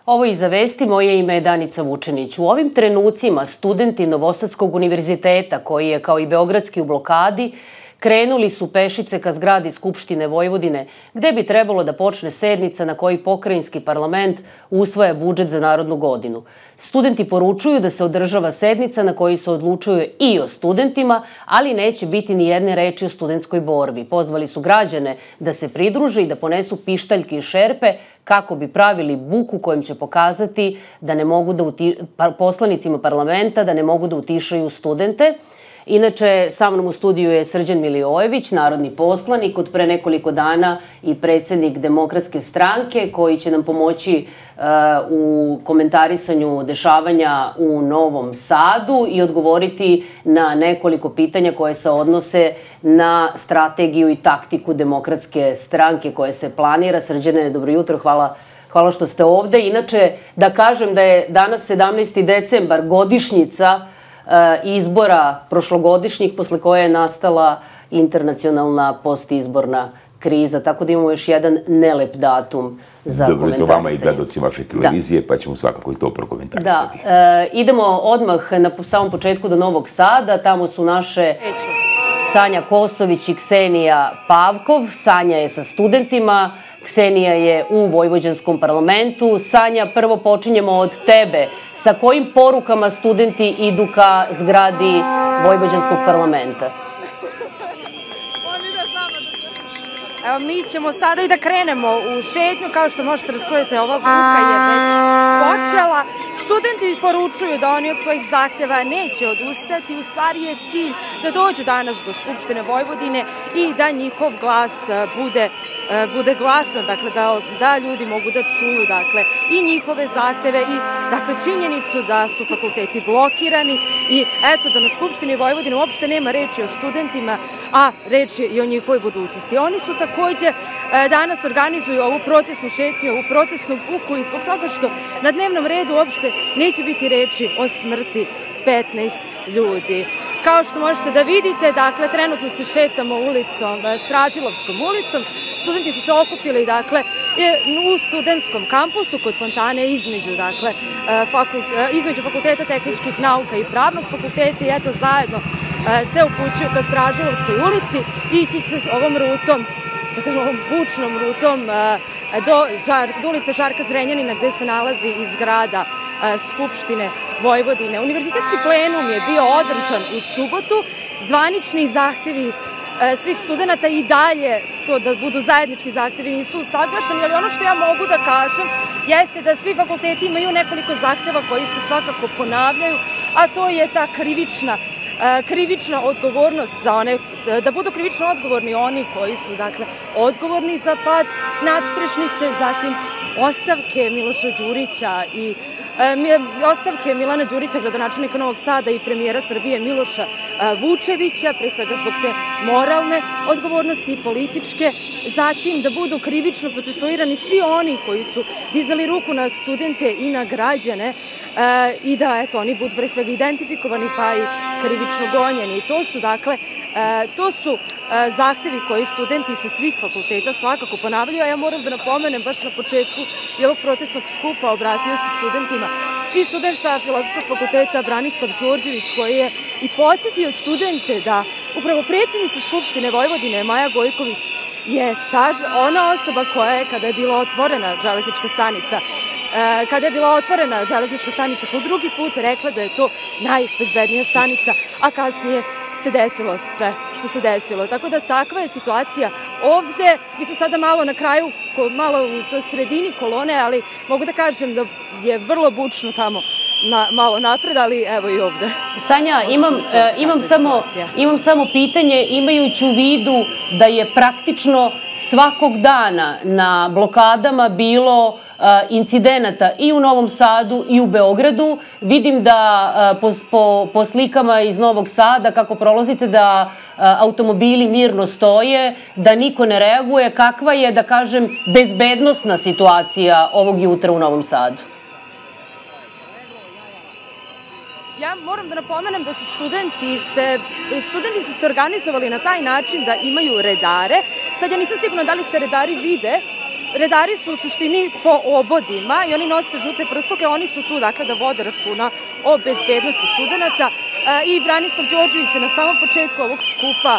Ovo Iza vesti, moje ime je Danica Vučenić. U ovim trenucima studenti Novosadskog univerziteta, koji je kao i Beogradski u blokadi, krenuli su pešice ka zgradi Skupštine Vojvodine, gde bi trebalo da počne sednica na kojoj pokrajinski parlament usvaja budžet za narednu godinu. Studenti poručuju da se održava sednica na kojoj se odlučuje i o studentima, ali neće biti ni jedne reči o studentskoj borbi. Pozvali su građane da se pridruže i da ponesu pištaljke i šerpe kako bi pravili buku kojim će pokazati da ne mogu da poslanicima parlamenta da ne mogu da utišaju studente. Inače, sa mnom u studiju je Srđan Milivojević, narodni poslanik, od pre nekoliko dana i predsednik Demokratske stranke, koji će nam pomoći u komentarisanju dešavanja u Novom Sadu i odgovoriti na nekoliko pitanja koje se odnose na strategiju i taktiku Demokratske stranke koje se planira. Srđane, dobro jutro, hvala što ste ovde. Inače, da kažem da je danas 17. decembar, godišnjica izbora prošlogodišnjih, posle koje je nastala internacionalna postizborna kriza. Tako da imamo još jedan nelep datum za komentarisanje. Dobro jutro vama i gledaoci vaše televizije, pa ćemo svakako i to prokomentarisati. Da, idemo odmah na samom početku do Novog Sada. Tamo su naše Sanja Kosović i Ksenija Pavkov. Sanja je sa studentima, Ksenija je u Vojvođanskom parlamentu. Sanja, prvo počinjemo od tebe. Sa kojim porukama studenti idu ka zgradi Vojvođanskog parlamenta? Evo, mi ćemo sada i da krenemo u šetnju. Kao što možete da čujete, ova buka je već počela. Studenti poručuju da oni od svojih zahteva neće odustati. U stvari je cilj da dođu danas do Skupštine Vojvodine i da njihov glas bude glasan, dakle da ljudi mogu da čuju i njihove zahteve i činjenicu da su fakulteti blokirani i eto da na Skupštini Vojvodine uopšte nema reči o studentima, a reč je i o njihovoj budućnosti. Oni su takođe danas organizuju ovu protestnu šetnju, ovu protestnu buku i zbog toga što na dnevnom redu uopšte neće biti reči o smrti 15 ljudi. Kao što možete da vidite, dakle, trenutno se šetamo ulicom, Stražilovskom ulicom. Studenti su se okupili, dakle, u studentskom kampusu kod fontane između Fakulteta tehničkih nauka i Pravnog fakulteta i eto zajedno se upućuju ka Stražilovskoj ulici i ići će ovom rutom, da kažem, ovom bučnom rutom do ulice Žarka Zrenjanina gde se nalazi i zgrada Skupštine Vojvodine. Univerzitetski plenum je bio održan u subotu. Zvanični zahtevi svih studenta i dalje, to da budu zajednički zahtevi, nisu usaglašeni, ali ono što ja mogu da kažem jeste da svi fakulteti imaju nekoliko zahteva koji se svakako ponavljaju, a to je ta krivična odgovornost za one, da budu krivično odgovorni oni koji su, dakle, odgovorni za pad nadstrešnice, zatim ostavke Miloša Đurića i ostavke Milana Đurića, gradonačelnika Novog Sada i premijera Srbije Miloša Vučevića, pre svega zbog te moralne odgovornosti i političke, zatim da budu krivično procesuirani svi oni koji su dizali ruku na studente i na građane i da, eto, oni budu pre svega identifikovani pa i krivično gonjeni. To su zahtevi koji studenti sa svih fakulteta svakako ponavljaju, a ja moram da napomenem baš na početku i ovog protestnog skupa obratio se studentima i student sa Filozofskog fakulteta Branislav Đorđević, koji je i podsjetio studente da upravo predsednica Skupštine Vojvodine Maja Gojković je ona osoba koja je, kada je bila otvorena železnička stanica po drugi put, rekla da je to najbezbednija stanica, a kasnije se desilo sve što se desilo. Tako da takva je situacija ovde. Mi smo sada malo na kraju, malo u toj sredini kolone, ali mogu da kažem da je vrlo bučno tamo malo napred, ali evo i ovde. Sanja, imam samo pitanje, imajući u vidu da je praktično svakog dana na blokadama bilo incidenata i u Novom Sadu i u Beogradu. Vidim da po slikama iz Novog Sada, kako prolazite, da automobili mirno stoje, da niko ne reaguje. Kakva je, da kažem, bezbednosna situacija ovog jutra u Novom Sadu? Ja moram da napomenem da su studenti se organizovali na taj način da imaju redare. Sad ja nisam sigurna da li se redari vide redari su u suštini po obodima i oni nose žute prstuke, oni su tu dakle da vode računa o bezbednosti studenta i Branislav Đorđević je na samom početku ovog skupa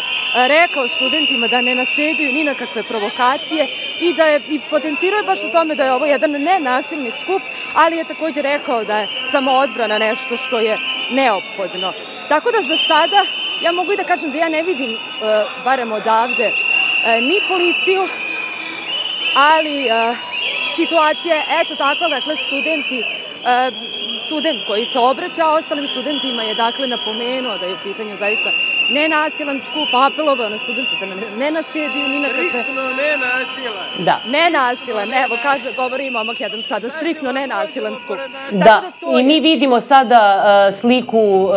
rekao studentima da ne nasedaju ni na kakve provokacije i da je i potencirao baš o tome da je ovo jedan nenasilni skup, ali je također rekao da je samoodbrana nešto što je neophodno. Tako da za sada ja mogu i da kažem da ja ne vidim, barem odavde, ni policiju, ali situacija je eto takva, dakle student koji se obraća ostalim studentima je dakle napomenuo da je u pitanju zaista nenasilan skup, apelovao na studente da ne nasediju ni na kakve... Striktno nenasilan. Da. Nenasilan, evo kaže, govori momak jedan sada, striktno nenasilan skup. Da, i mi vidimo sada sliku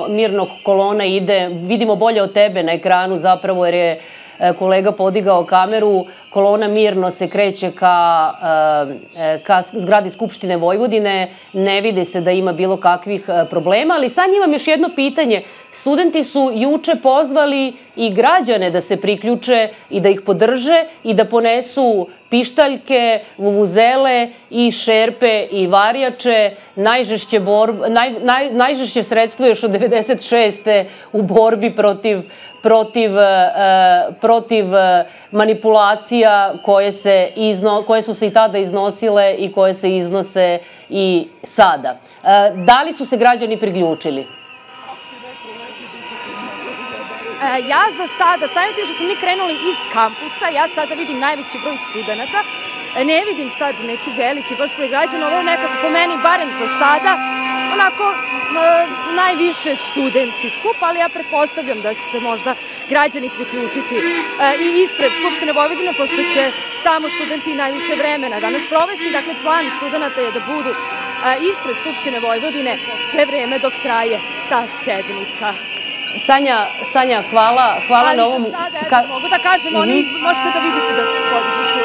mirnog kolona ide, vidimo bolje od tebe na ekranu zapravo jer je kolega podigao kameru, kolona mirno se kreće ka zgradi Skupštine Vojvodine, ne vidi se da ima bilo kakvih problema, ali sad imam još jedno pitanje. Studenti su juče pozvali i građane da se priključe i da ih podrže i da ponesu pištaljke, vuvuzele i šerpe i varjače, najžešće sredstvo još od 96. u borbi protiv manipulacija koje su se i tada iznosile i koje se iznose i sada. Da li su se građani priključili? Ja za sada, samim tim što smo mi krenuli iz kampusa, ja sada vidim najveći broj studenta, ne vidim sad neki veliki broj građana, ovo je nekako po meni, barem za sada, onako najviše studentski skup, ali ja pretpostavljam da će se možda građani priključiti i ispred Skupštine Vojvodine, pošto će tamo studenti najviše vremena danas provesti. Dakle, plan studenta je da budu ispred Skupštine Vojvodine sve vreme dok traje ta sednica. Sanja, hvala na ovom... Ali za sada, eto, mogu da kažem, oni možete da vidite da podižu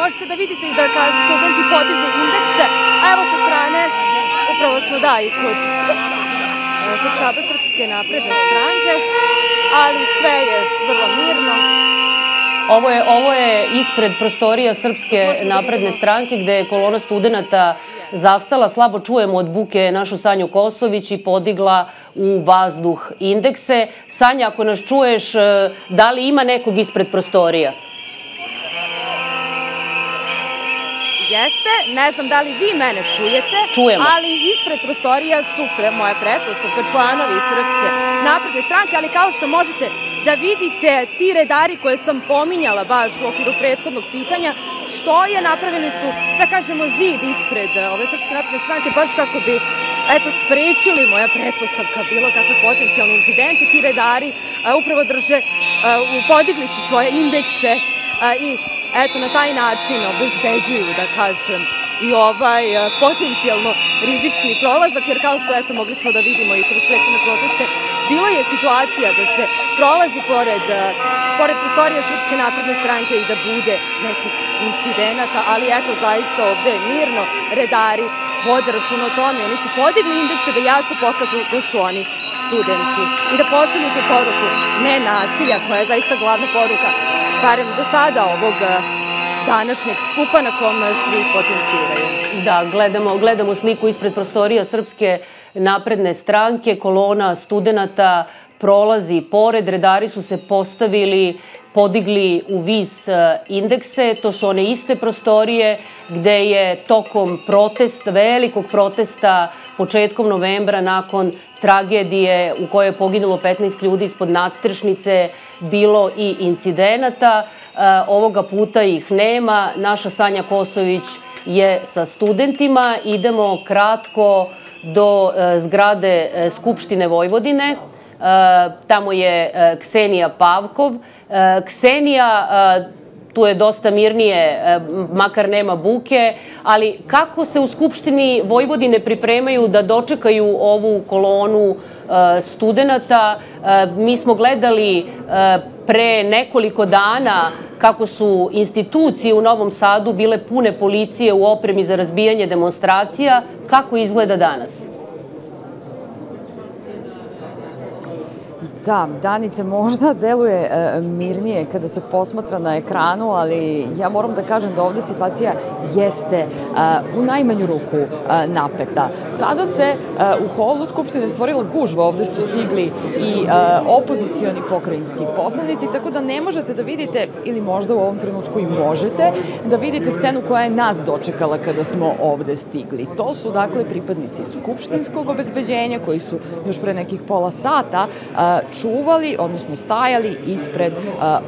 možete da vidite i da studenti podižu indekse, a evo sa strane, upravo smo i kod štaba Srpske napredne stranke, ali sve je vrlo mirno. Ovo je ispred prostorija Srpske napredne stranke gde je kolona studenta zastala, slabo čujemo od buke našu Sanju Kosović i podigla u vazduh indekse. Sanja, ako nas čuješ, da li ima nekog ispred prostorija? Jeste, ne znam da li vi mene čujete, Čujemo. Ali ispred prostorija su moja pretpostavka članovi Srpske napredne stranke, ali kao što možete da vidite, ti redari koje sam pominjala baš u okviru prethodnog pitanja, stoje, napravili su, da kažemo, zid ispred ove Srpske napredne stranke, baš kako bi, eto, sprečili, moja pretpostavka, bilo kakve potencijalne incidente. Ti redari upravo drže, podigli su svoje indekse i eto, na taj način obezbeđuju, da kažem, i ovaj potencijalno rizični prolazak, jer kao što, eto, mogli smo da vidimo i kroz prethodne proteste, bilo je situacija da se prolazi pored prostorija Srpske napredne stranke i da bude nekih incidenata, ali eto, zaista ovde je mirno, redari vode računa o tome, oni su podigli indekse da jasno pokažu da su oni studenti i da pošalju tu poruku nenasilja, koja je zaista glavna poruka, barem za sada, ovog današnjeg skupa na kom svi potenciraju. Da, gledamo sliku ispred prostorija Srpske napredne stranke, kolona studenta prolazi pored, redari su se podigli u vis indekse, to su one iste prostorije gde je tokom velikog protesta početkom novembra nakon tragedije u kojoj je poginulo 15 ljudi ispod nadstrešnice bilo i incidenata. Ovoga puta ih nema. Naša Sanja Kosović je sa studentima. Idemo kratko do zgrade Skupštine Vojvodine. Tamo je Ksenija Pavkov. Ksenija, tu je dosta mirnije, makar nema buke, ali kako se u Skupštini Vojvodine pripremaju da dočekaju ovu kolonu studenta? Mi smo gledali pre nekoliko dana kako su institucije u Novom Sadu bile pune policije u opremi za razbijanje demonstracija. Kako izgleda danas? Da, Danica možda deluje mirnije kada se posmatra na ekranu, ali ja moram da kažem da ovde situacija jeste u najmanju ruku napeta. Sada se u holu Skupštine stvorila gužva, ovde su stigli i opozicioni pokrajinski poslanici, tako da ne možete da vidite, ili možda u ovom trenutku i možete, da vidite scenu koja je nas dočekala kada smo ovde stigli. To su, dakle, pripadnici skupštinskog obezbeđenja koji su još pre nekih pola sata čuvali, odnosno stajali ispred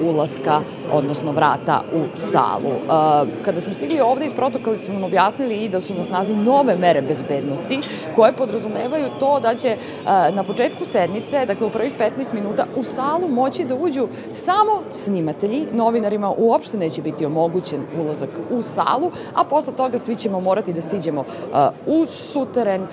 ulaska, odnosno vrata u salu. Kada smo stigli ovde, iz protokola su nam objasnili i da su na snazi nove mere bezbednosti koje podrazumevaju to da će na početku sednice, dakle u prvih 15 minuta, u salu moći da uđu samo snimatelji. Novinarima uopšte neće biti omogućen ulazak u salu, a posle toga svi ćemo morati da siđemo u suteren,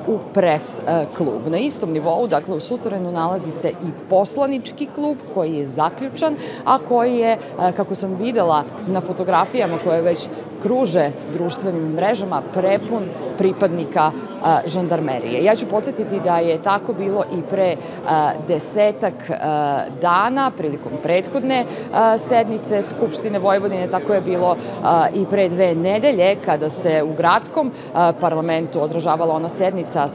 u pres klub. Na istom nivou, dakle u suterenu, nalazi se i poslanički klub koji je zaključan, a koji je, kako sam videla na fotografijama koje već kruže društvenim mrežama, prepun pripadnika žandarmerije. Ja ću podsjetiti da je tako bilo i pre 10 dana, prilikom prethodne sednice Skupštine Vojvodine, tako je bilo i pre 2 nedelje, kada se u gradskom parlamentu održavala ona sednica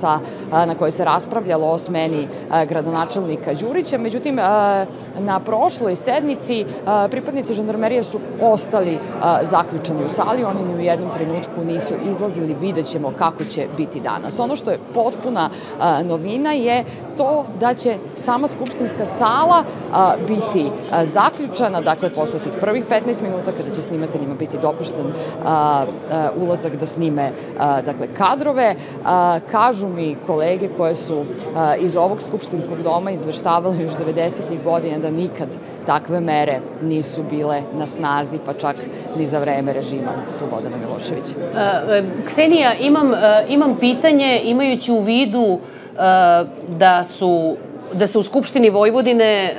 na kojoj se raspravljalo o smeni gradonačelnika Đurića. Međutim, na prošloj sednici pripadnici žandarmerije su ostali zaključani u sali, oni ni u jednom trenutku nisu izlazili, vidjet ćemo kako će biti danas. Ono što je potpuna novina je to da će sama skupštinska sala biti zaključana, dakle posle tih prvih 15 minuta kada će snimateljima biti dopušten ulazak da snime kadrove. Kažu mi kolege koje su iz ovog skupštinskog doma izveštavali još 90-ih godina da nikad takve mere nisu bile na snazi, pa čak ni za vreme režima Slobodana Miloševića. Ksenija, imam pitanje, imajući u vidu da se u Skupštini Vojvodine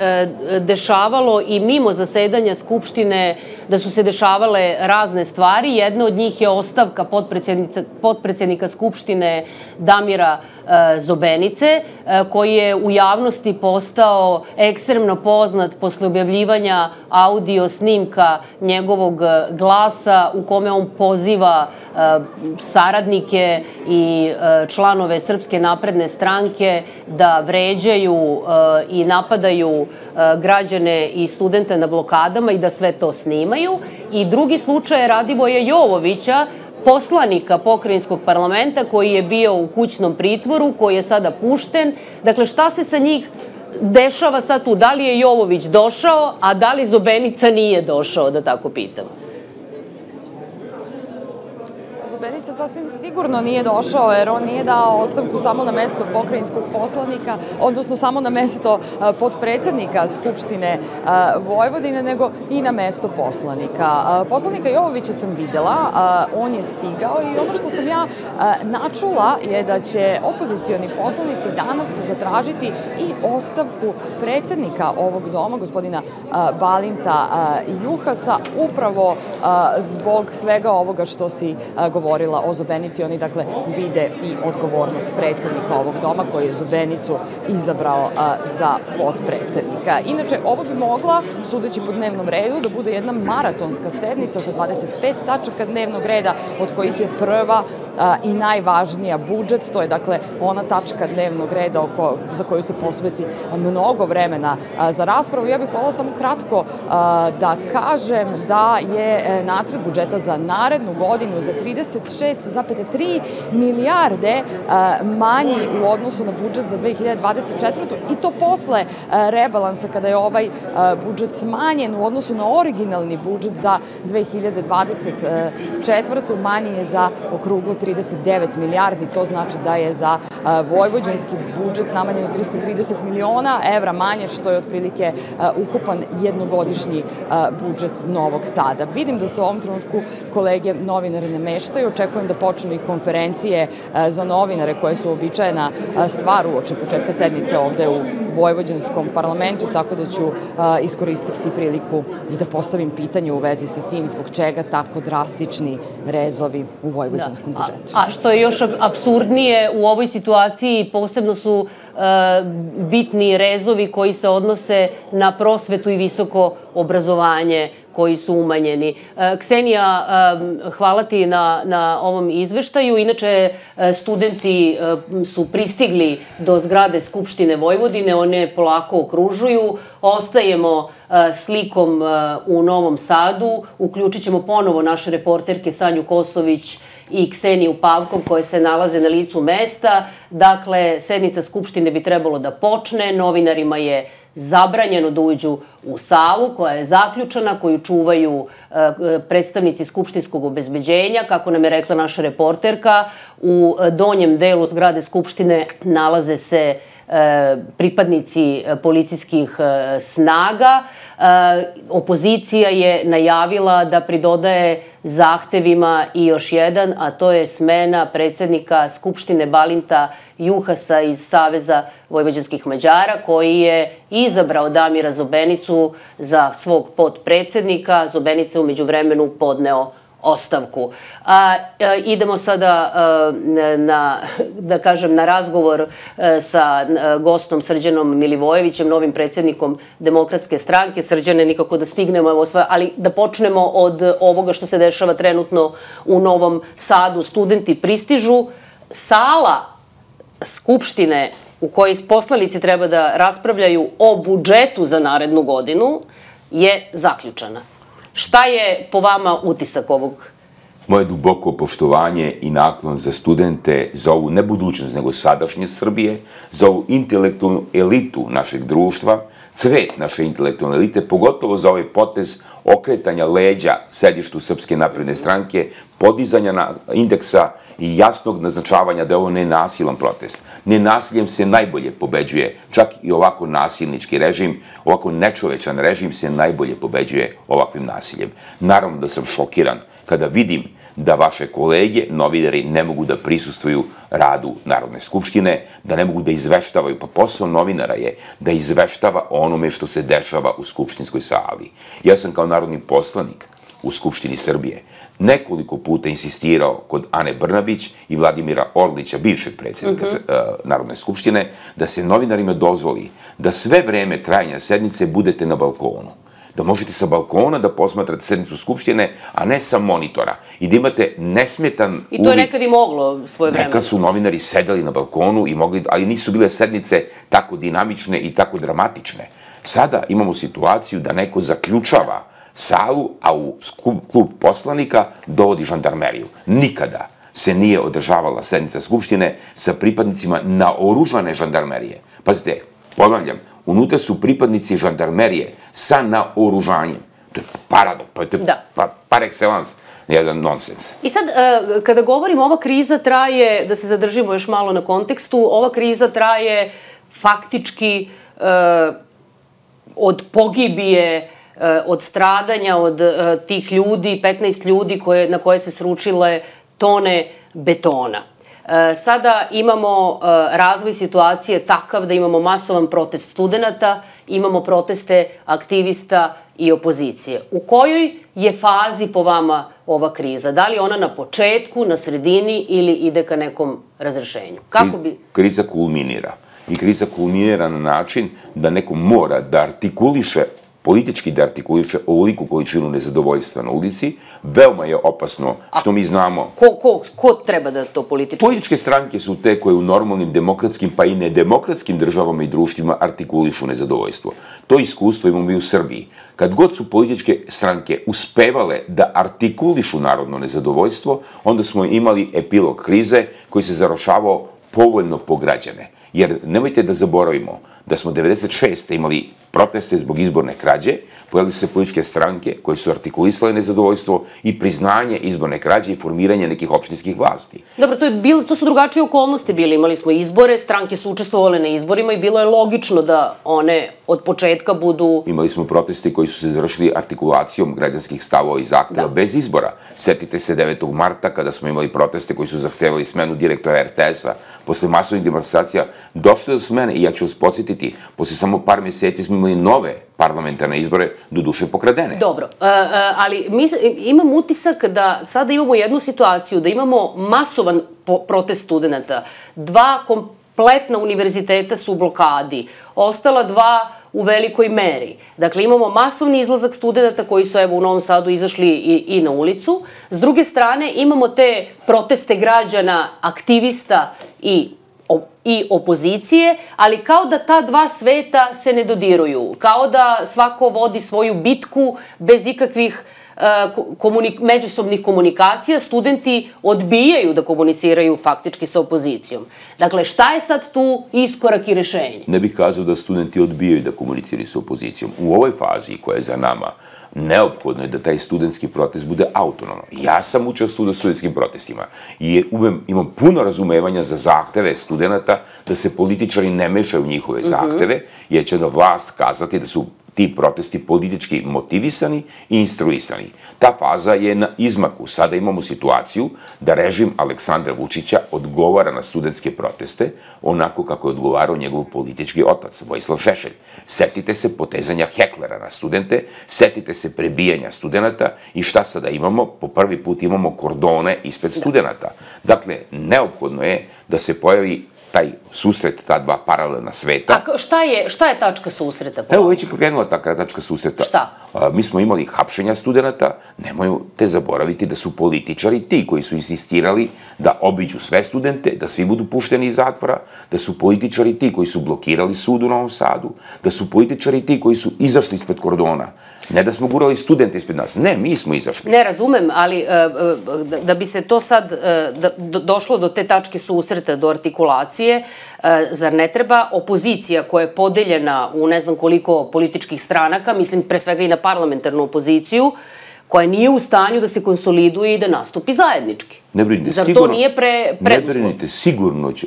dešavalo i mimo zasedanja Skupštine, da su se dešavale razne stvari. Jedna od njih je ostavka potpredsednika Skupštine Damira Zobenice, koji je u javnosti postao ekstremno poznat posle objavljivanja audio snimka njegovog glasa u kome on poziva saradnike i članove Srpske napredne stranke da vređaju i napadaju građane i studente na blokadama i da sve to snimaju. I drugi slučaj je Radivoja Jovovića, poslanika pokrajinskog parlamenta koji je bio u kućnom pritvoru, koji je sada pušten. Dakle, šta se sa njih dešava sad tu? Da li je Jovović došao, a da li Zobenica nije došao, da tako pitam? Zobenica sasvim sigurno nije došao, jer on nije dao ostavku samo na mesto pokrajinskog poslanika, odnosno samo na mesto potpredsednika Skupštine Vojvodine, nego i na mesto poslanika. Poslanika Jovovića sam videla, on je stigao i ono što sam ja načula je da će opozicioni poslanici danas zatražiti i ostavku predsednika ovog doma, gospodina Balinta Juhasa, upravo zbog svega ovoga što si govorila o Zobenici. Oni, dakle, vide i odgovornost predsednika ovog doma koji je Zobenicu izabrao za potpredsednika. Inače, ovo bi mogla, sudeći po dnevnom redu, da bude jedna maratonska sednica sa 25 tačaka dnevnog reda, od kojih je prva i najvažnija budžet. To je, dakle, ona tačka dnevnog reda za koju se posveti mnogo vremena za raspravu. Ja bih voljela samo kratko da kažem da je nacrt budžeta za narednu godinu za 36,3 milijarde manji u odnosu na budžet za 2024. i to posle rebalansa, kada je ovaj budžet smanjen u odnosu na originalni budžet za 2024. Manji je za okruglo 39 milijardi. To znači da je za vojvođanski budžet namanjeno 330 miliona evra manje, što je otprilike ukupan jednogodišnji budžet Novog Sada. Vidim da se u ovom trenutku kolege novinari ne meštaju. Očekujem da počnu i konferencije za novinare koje su uobičajena stvar uoči početka sednice ovde u vojvođanskom parlamentu, tako da ću iskoristiti priliku i da postavim pitanje u vezi sa tim zbog čega tako drastični rezovi u vojvođanskom budžetu. A što je još apsurdnije u ovoj situaciji situaciji posebno su bitni rezovi koji se odnose na prosvetu i visoko obrazovanje koji su umanjeni. Ksenija, hvala ti na ovom izveštaju. Inače, studenti su pristigli do zgrade Skupštine Vojvodine, one polako okružuju. Ostajemo slikom u Novom Sadu. Uključit ćemo ponovo naše reporterke Sanju Kosović i Kseniju Pavkov koje se nalaze na licu mesta. Dakle, sednica Skupštine bi trebalo da počne. Novinarima je zabranjeno da uđu u salu koja je zaključana, koju čuvaju predstavnici skupštinskog obezbeđenja. Kako nam je rekla naša reporterka, u donjem delu zgrade Skupštine nalaze se pripadnici policijskih snaga. Opozicija je najavila da pridodaje zahtevima i još jedan, a to je smena predsednika Skupštine Balinta Juhasa iz Saveza vojvođanskih Mađara, koji je izabrao Damira Zobenicu za svog potpredsednika. Zobenica je umeđu vremenu podneo ostavku. Idemo sada na razgovor sa gostom Srđanom Milivojevićem, novim predsednikom Demokratske stranke. Srđane, nikako da stignemo, ali da počnemo od ovoga što se dešava trenutno u Novom Sadu. Studenti pristižu. Sala Skupštine u kojoj poslanici treba da raspravljaju o budžetu za narednu godinu je zaključana. Šta je po vama utisak ovog? Moje duboko poštovanje i naklon za studente, za ovu ne budućnost, nego sadašnje Srbije, za ovu intelektualnu elitu našeg društva, cvet naše intelektualne elite, pogotovo za ovaj potez okretanja leđa sedištu Srpske napredne stranke, podizanja indeksa i jasnog naznačavanja da je ovo nenasilan protest. Nenasiljem se najbolje pobeđuje, čak i ovako nasilnički režim, ovako nečovečan režim se najbolje pobeđuje ovakvim nasiljem. Naravno da sam šokiran kada vidim da vaše kolege, novinari, ne mogu da prisustvuju radu Narodne skupštine, da ne mogu da izveštavaju, pa posao novinara je da izveštava o onome što se dešava u skupštinskoj sali. Ja sam kao narodni poslanik u Skupštini Srbije nekoliko puta insistirao kod Ane Brnabić i Vladimira Orlića, bivšeg predsjednika Narodne skupštine, da se novinarima dozvoli da sve vreme trajanja sednice budete na balkonu. Da možete sa balkona da posmatrate sednicu Skupštine, a ne sa monitora. I da imate nesmetan uvid. I to je nekad i moglo svoje vreme. Nekad su novinari sedeli na balkonu, ali nisu bile sednice tako dinamične i tako dramatične. Sada imamo situaciju da neko zaključava salu, a u klub poslanika dovodi žandarmeriju. Nikada se nije održavala sednica Skupštine sa pripadnicima naoružane žandarmerije. Pazite, ponavljam, unutra su pripadnici žandarmerije sa naoružanjem. To je paradoks, to je par excellence, jedan nonsens. I sad, kada govorimo, ova kriza traje, da se zadržimo još malo na kontekstu, ova kriza traje faktički od pogibije, od stradanja, od tih ljudi, 15 ljudi na koje se sručile tone betona. Sada imamo razvoj situacije takav da imamo masovan protest studenta, imamo proteste aktivista i opozicije. U kojoj je fazi po vama ova kriza? Da li je ona na početku, na sredini ili ide ka nekom razrešenju? Kriza kulminira. I kriza kulminira na način da neko mora da artikuliše, politički da artikuliše ovoliku količinu nezadovoljstva na ulici. Veoma je opasno što mi znamo. Ko treba da to politički? Političke stranke su te koje u normalnim demokratskim pa i nedemokratskim državama i društvima artikulišu nezadovoljstvo. To iskustvo imamo i u Srbiji. Kad god su političke stranke uspevale da artikulišu narodno nezadovoljstvo, onda smo imali epilog krize koji se završavao povoljno po građane. Jer nemojte da zaboravimo da smo 1996. imali proteste zbog izborne krađe, pojavili su se političke stranke koje su artikulisale nezadovoljstvo i priznanje izborne krađe i formiranje nekih opštinskih vlasti. Dobro, to su drugačije okolnosti bili. Imali smo izbore, stranke su učestvovale na izborima i bilo je logično da one od početka budu... Imali smo proteste koji su se završili artikulacijom građanskih stavova i zahteva bez izbora. Setite se 9. marta kada smo imali proteste koji su zahtevali smenu direktora RTS-a. Posle masovnih demonstracija došlo je do smene i ja ću vas podsjetiti podsjetiti, posle samo par meseci smo imali nove parlamentarne izbore, doduše pokradene. Dobro, ali imam utisak da sada imamo jednu situaciju, da imamo masovan protest studenta. 2 kompletna univerziteta su u blokadi, ostala 2 u velikoj meri. Dakle, imamo masovni izlazak studenta koji su, evo, u Novom Sadu izašli i na ulicu. S druge strane, imamo te proteste građana, aktivista i opozicije, ali kao da ta 2 sveta se ne dodiruju. Kao da svako vodi svoju bitku bez ikakvih međusobnih komunikacija, studenti odbijaju da komuniciraju faktički sa opozicijom. Dakle, šta je sad tu iskorak i rešenje? Ne bih kazao da studenti odbijaju da komuniciraju sa opozicijom. U ovoj fazi koja je za nama, neophodno je da taj studentski protest bude autonoman. Ja sam učestvovao u studentskim protestima i imam puno razumevanja za zahteve studenta da se političari ne mešaju u njihove zahteve, jer će da vlast kazati da su ti protesti politički motivisani i instruisani. Ta faza je na izmaku. Sada imamo situaciju da režim Aleksandra Vučića odgovara na studentske proteste onako kako je odgovarao njegov politički otac, Vojislav Šešelj. Setite se potezanja heklera na studente, setite se prebijanja studenta i šta sada imamo? Po prvi put imamo kordone ispred studenta. Dakle, neophodno je da se pojavi taj susret, ta 2 paralelna sveta. A šta je tačka susreta? Evo, već je krenula ta tačka susreta. Šta? Mi smo imali hapšenja studenta, nemojte zaboraviti da su političari ti koji su insistirali da obiđu sve studente, da svi budu pušteni iz zatvora, da su političari ti koji su blokirali sud u Novom Sadu, da su političari ti koji su izašli ispred kordona. Ne da smo gurali studente ispred nas, ne, mi smo izašli. Ne, razumem, ali da bi se to sad došlo do te tačke susreta, do artikulacije, zar ne treba opozicija koja je podeljena u ne znam koliko političkih stranaka, mislim pre svega i na parlamentarnu opoziciju, koja nije u stanju da se konsoliduje i da nastupi zajednički? Ne brinite, zar to nije preduslov? Ne brinite,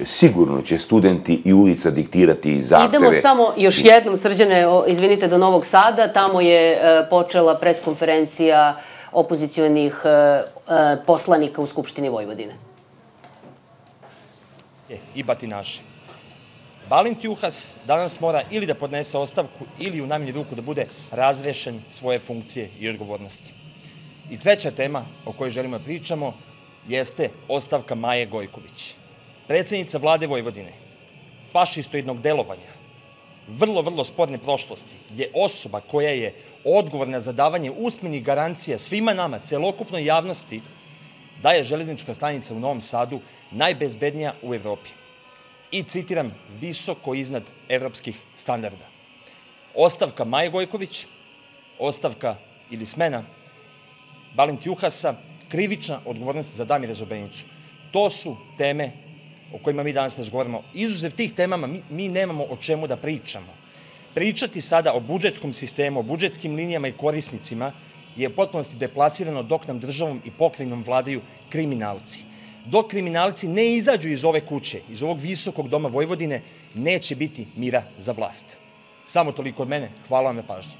sigurno će studenti i ulica diktirati zahteve. Idemo samo još jednom, Srđane, izvinite, do Novog Sada, tamo je počela preskonferencija opozicionih poslanika u Skupštini Vojvodine. I batinaši. Balint Juhas danas mora ili da podnese ostavku ili u najmanju ruku da bude razrešen svoje funkcije i odgovornosti. I treća tema o kojoj želimo da pričamo jeste ostavka Maje Gojković. Predsednica vlade Vojvodine, fašistoidnog delovanja, vrlo sporne prošlosti, je osoba koja je odgovorna za davanje usmenih garancija svima nama, celokupnoj javnosti, da je železnička stanica u Novom Sadu najbezbednija u Evropi. I citiram, visoko iznad evropskih standarda. Ostavka Maje Gojković, ostavka ili smena Balint Juhasa, krivična odgovornost za Damira Zobenicu. To su teme o kojima mi danas razgovaramo. Izuzev tih temama mi nemamo o čemu da pričamo. Pričati sada o budžetskom sistemu, o budžetskim linijama i korisnicima je u potpunosti deplasirano dok nam državom i pokrajinom vladaju kriminalci. Dok kriminalci ne izađu iz ove kuće, iz ovog visokog doma Vojvodine, neće biti mira za vlast. Samo toliko od mene. Hvala vam na pažnji.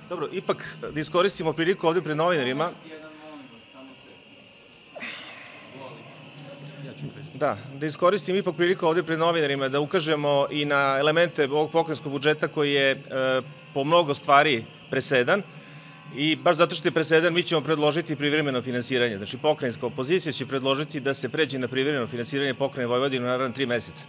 Dobro, ipak da iskoristimo priliku ovde pred novinarima. Da iskoristim ipak priliku ovde pred novinarima da ukažemo i na elemente ovog pokrajinskog budžeta koji je po mnogo stvari presedan. I baš zato što je presedan, mi ćemo predložiti privremeno finansiranje. Znači, pokrajinska opozicija će predložiti da se pređe na privremeno finansiranje pokrajine Vojvodine u naravno 3 meseca.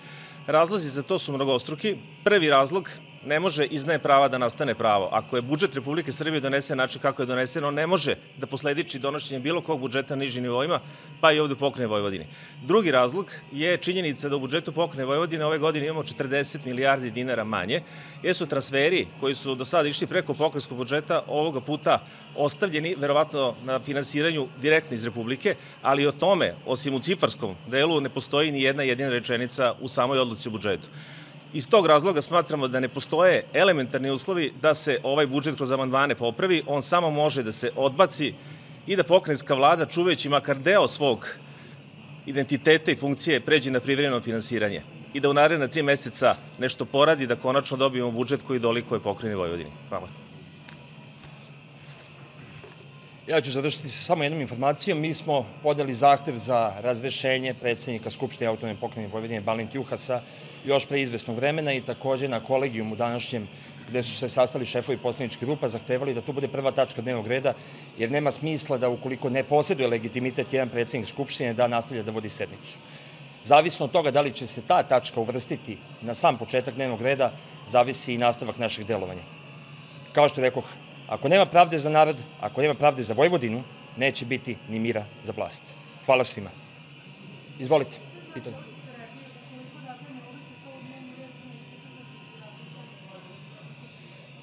Razlozi za to su mnogostruki. Prvi razlog, ne može iz neprava da nastane pravo. Ako je budžet Republike Srbije donesen način kako je donesen, on ne može da poslediči donošenje bilo kog budžeta na nižim nivoima, pa i ovde u pokrajini Vojvodine. Drugi razlog je činjenica da u budžetu pokrajine Vojvodine ove godine imamo 40 milijardi dinara manje, jer su transferi koji su do sada išli preko pokrajinskog budžeta ovoga puta ostavljeni, verovatno na finansiranju direktno iz Republike, ali o tome, osim u cifarskom delu, ne postoji ni jedna jedina rečenica u samoj odluci o budžetu. Iz tog razloga smatramo da ne postoje elementarni uslovi da se ovaj budžet kroz amandmane popravi, on samo može da se odbaci i da pokrajinska vlada, čuvajući makar deo svog identiteta i funkcije, pređe na privremeno finansiranje i da u naredna 3 meseca nešto poradi, da konačno dobijemo budžet koji dolikuje pokrajini Vojvodini. Hvala. Ja ću završiti sa samo jednom informacijom. Mi smo podali zahtev za razrešenje predsjednika Skupštine Autonomne pokrajine Vojvodine Balinta Juhasa još pre izvesnog vremena i takođe na kolegijumu današnjem gde su se sastali šefovi poslaničkih grupa, zahtevali da to bude prva tačka dnevnog reda, jer nema smisla da ukoliko ne posjeduje legitimitet jedan predsjednik Skupštine da nastavlja da vodi sednicu. Zavisno od toga da li će se ta tačka uvrstiti na sam početak dnevnog reda, zavisi i nastavak našeg delovanja. Kao što rekoh, ako nema pravde za narod, ako nema pravde za Vojvodinu, neće biti ni mira za vlast. Hvala svima. Izvolite, pitanje.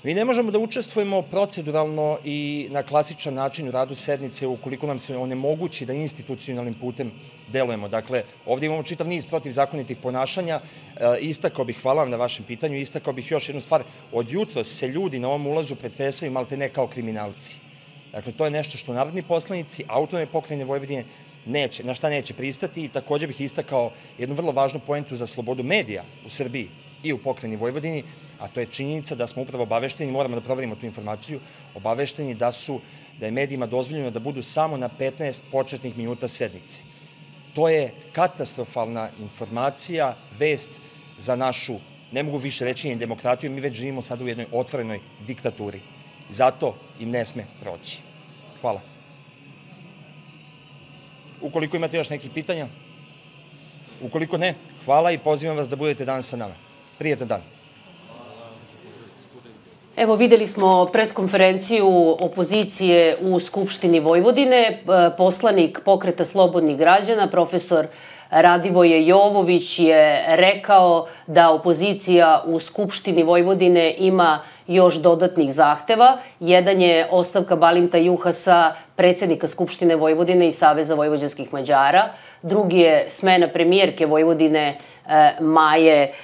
Mi ne možemo da učestvujemo proceduralno i na klasičan način u radu sednice ukoliko nam se onemogući da institucionalnim putem delujemo. Dakle, ovdje imamo čitav niz protivzakonitih ponašanja. Istakao bih, hvala vam na vašem pitanju, istakao bih još jednu stvar. Od jutros se ljudi na ovom ulazu pretresaju malte ne kao kriminalci. Dakle, to je nešto što narodni poslanici Autonomne pokrajine Vojvodine na šta neće pristati i također bih istakao jednu vrlo važnu poentu za slobodu medija u Srbiji i u pokrajini Vojvodini, a to je činjenica da smo upravo obavešteni, moramo da proverimo tu informaciju, obavešteni da je medijima dozvoljeno da budu samo na 15 početnih minuta sednice. To je katastrofalna informacija, vest za našu, ne mogu više reći ni demokratiju, mi već živimo sad u jednoj otvorenoj diktaturi. Zato im ne sme proći. Hvala. Ukoliko imate još nekih pitanja, ukoliko ne, hvala i pozivam vas da budete danas sa nama. Prijetan dan. Evo, videli smo preskonferenciju opozicije u Skupštini Vojvodine. Poslanik Pokreta slobodnih građana, profesor Radivoje Jovović, je rekao da opozicija u Skupštini Vojvodine ima još dodatnih zahteva. Jedan je ostavka Balinta Juhasa, predsjednika Skupštine Vojvodine i Saveza vojvođanskih Mađara. Drugi je smena premijerke Vojvodine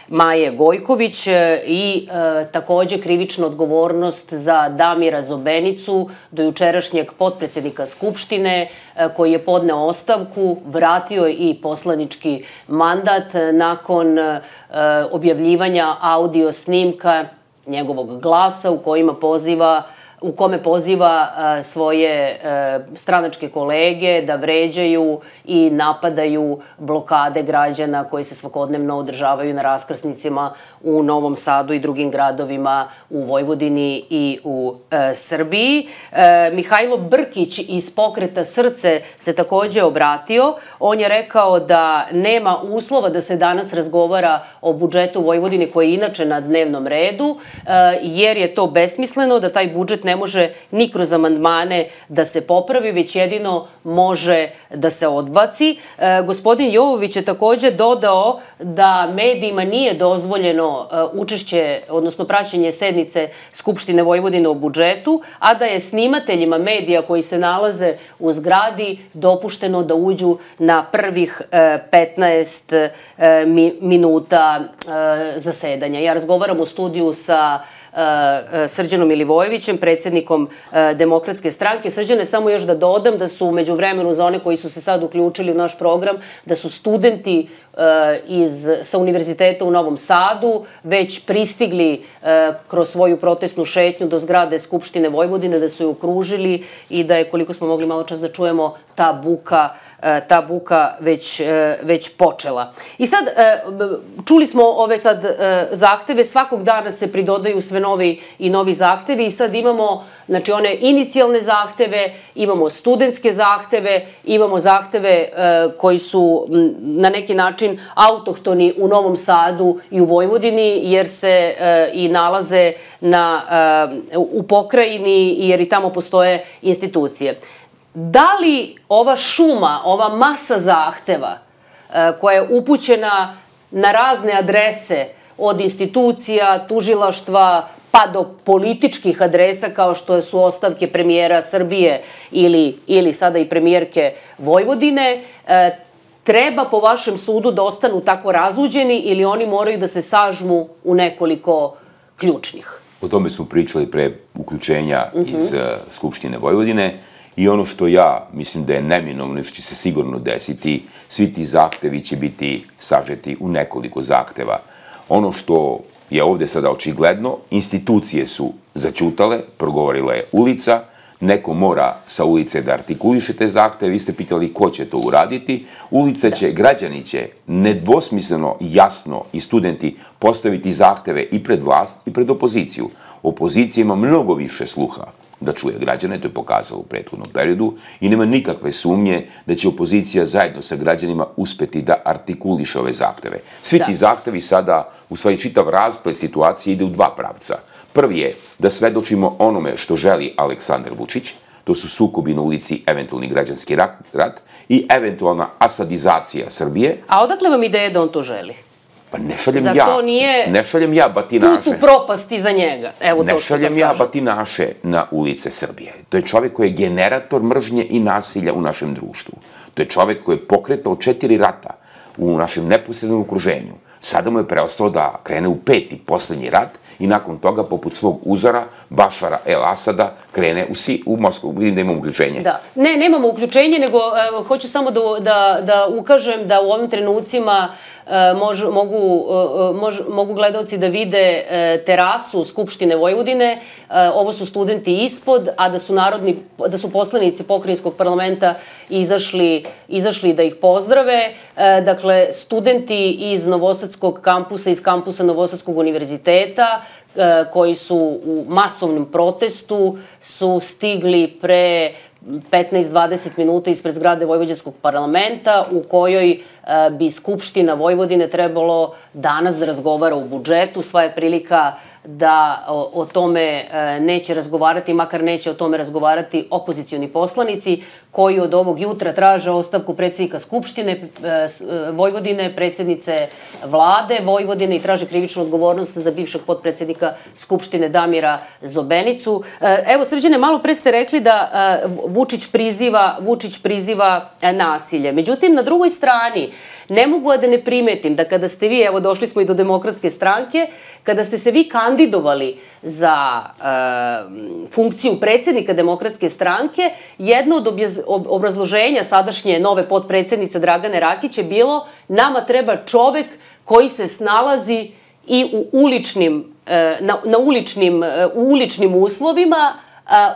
Maje Gojković i također krivična odgovornost za Damira Zobenicu, dojučerašnjeg potpredsjednika Skupštine, koji je podneo ostavku, vratio i poslanički mandat nakon objavljivanja audio snimka njegovog glasa u kome poziva svoje stranačke kolege da vređaju i napadaju blokade građana koji se svakodnevno održavaju na raskrsnicima u Novom Sadu i drugim gradovima u Vojvodini i u Srbiji. Mihajlo Brkić iz Pokreta Srce se također obratio. On je rekao da nema uslova da se danas razgovara o budžetu Vojvodine koji je inače na dnevnom redu, jer je to besmisleno, da taj budžet ne može ni kroz amandmane da se popravi, već jedino može da se odbaci. Gospodin Jovović je također dodao da medijima nije dozvoljeno učešće, odnosno praćenje sednice Skupštine Vojvodine o budžetu, a da je snimateljima medija koji se nalaze u zgradi dopušteno da uđu na prvih 15 minuta zasedanja. Ja razgovaram u studiju sa Srđanom Milivojevićem, predsjednikom Demokratske stranke. Srđane, samo još da dodam da su među vremenu, za one koji su se sad uključili u naš program, da su studenti sa Univerziteta u Novom Sadu već pristigli kroz svoju protestnu šetnju do zgrade Skupštine Vojvodine, da su je okružili i da je, koliko smo mogli malo čas da čujemo, ta buka već počela. I sad, čuli smo ove sad zahteve, svakog dana se pridodaju sve novi i novi zahtevi i sad imamo, znači, one inicijalne zahteve, imamo studentske zahteve, imamo zahteve koji su na neki način autohtoni u Novom Sadu i u Vojvodini, jer se i nalaze u pokrajini, jer i tamo postoje institucije. Da li ova šuma, ova masa zahteva koja je upućena na razne adrese od institucija, tužilaštva, pa do političkih adresa kao što su ostavke premijera Srbije ili sada i premijerke Vojvodine, treba po vašem sudu da ostanu tako razuđeni ili oni moraju da se sažmu u nekoliko ključnih? O tome smo pričali pre uključenja iz Skupštine Vojvodine i ono što ja mislim da je neminovno, što će se sigurno desiti, svi ti zahtevi će biti sažeti u nekoliko zahteva. Ono što je ovde sada očigledno, institucije su zaćutale, progovorila je ulica, Neko mora sa ulice da artikuliše te zahteve, vi ste pitali ko će to uraditi. Ulica će, građani će nedvosmisleno, jasno i studenti postaviti zahteve i pred vlast i pred opoziciju. Opozicija ima mnogo više sluha da čuje građane, to je pokazalo u prethodnom periodu i nema nikakve sumnje da će opozicija zajedno sa građanima uspeti da artikuliše ove zahteve. Svi ti zahtevi sada, u stvari čitav rasplet situacije ide u dva pravca. Prvi je da svedočimo onome što želi Aleksandar Vučić, to su sukobi na ulici, eventualni građanski rat i eventualna asadizacija Srbije. A odakle vam ideja da on to želi? Pa ne šaljem ja batinaše. Put u propasti za njega. Ne šaljem ja batinaše na ulice Srbije. To je čovek koji je generator mržnje i nasilja u našem društvu. To je čovek koji je pokretao 4 rata u našem neposrednom okruženju. Sada mu je preostao da krene u 5. poslednji rat i nakon toga, poput svog uzora, Bašara El Asada, krene u Moskvu. Vidim da imamo uključenje. Da. Ne, nemamo uključenje, nego hoću samo da ukažem da u ovim trenucima mogu gledalci da vide terasu Skupštine Vojvodine. Ovo su studenti ispod, a da su poslanici pokrajinskog parlamenta izašli da ih pozdrave. Dakle, studenti iz Novosadskog kampusa, iz kampusa Novosadskog univerziteta, koji su u masovnom protestu, su stigli pre 15-20 minuta ispred zgrade Vojvođanskog parlamenta, u kojoj bi Skupština Vojvodine trebalo danas da razgovara o budžetu. Sva je prilika da o tome neće razgovarati, makar neće o tome razgovarati opozicioni poslanici, koji od ovog jutra traže ostavku predsjednika Skupštine Vojvodine, predsjednice vlade Vojvodine i traže krivičnu odgovornost za bivšeg potpredsjednika Skupštine Damira Zobenicu. Evo, Srđane, malo pre ste rekli da Vučić priziva nasilje. Međutim, na drugoj strani, ne mogu da ne primetim da kada ste vi, evo došli smo i do Demokratske stranke, kada ste se vi kandidovali za funkciju predsjednika Demokratske stranke, jedno od obrazloženja sadašnje nove potpredsjednice Dragane Rakić je bilo: nama treba čovek koji se snalazi i u uličnim uslovima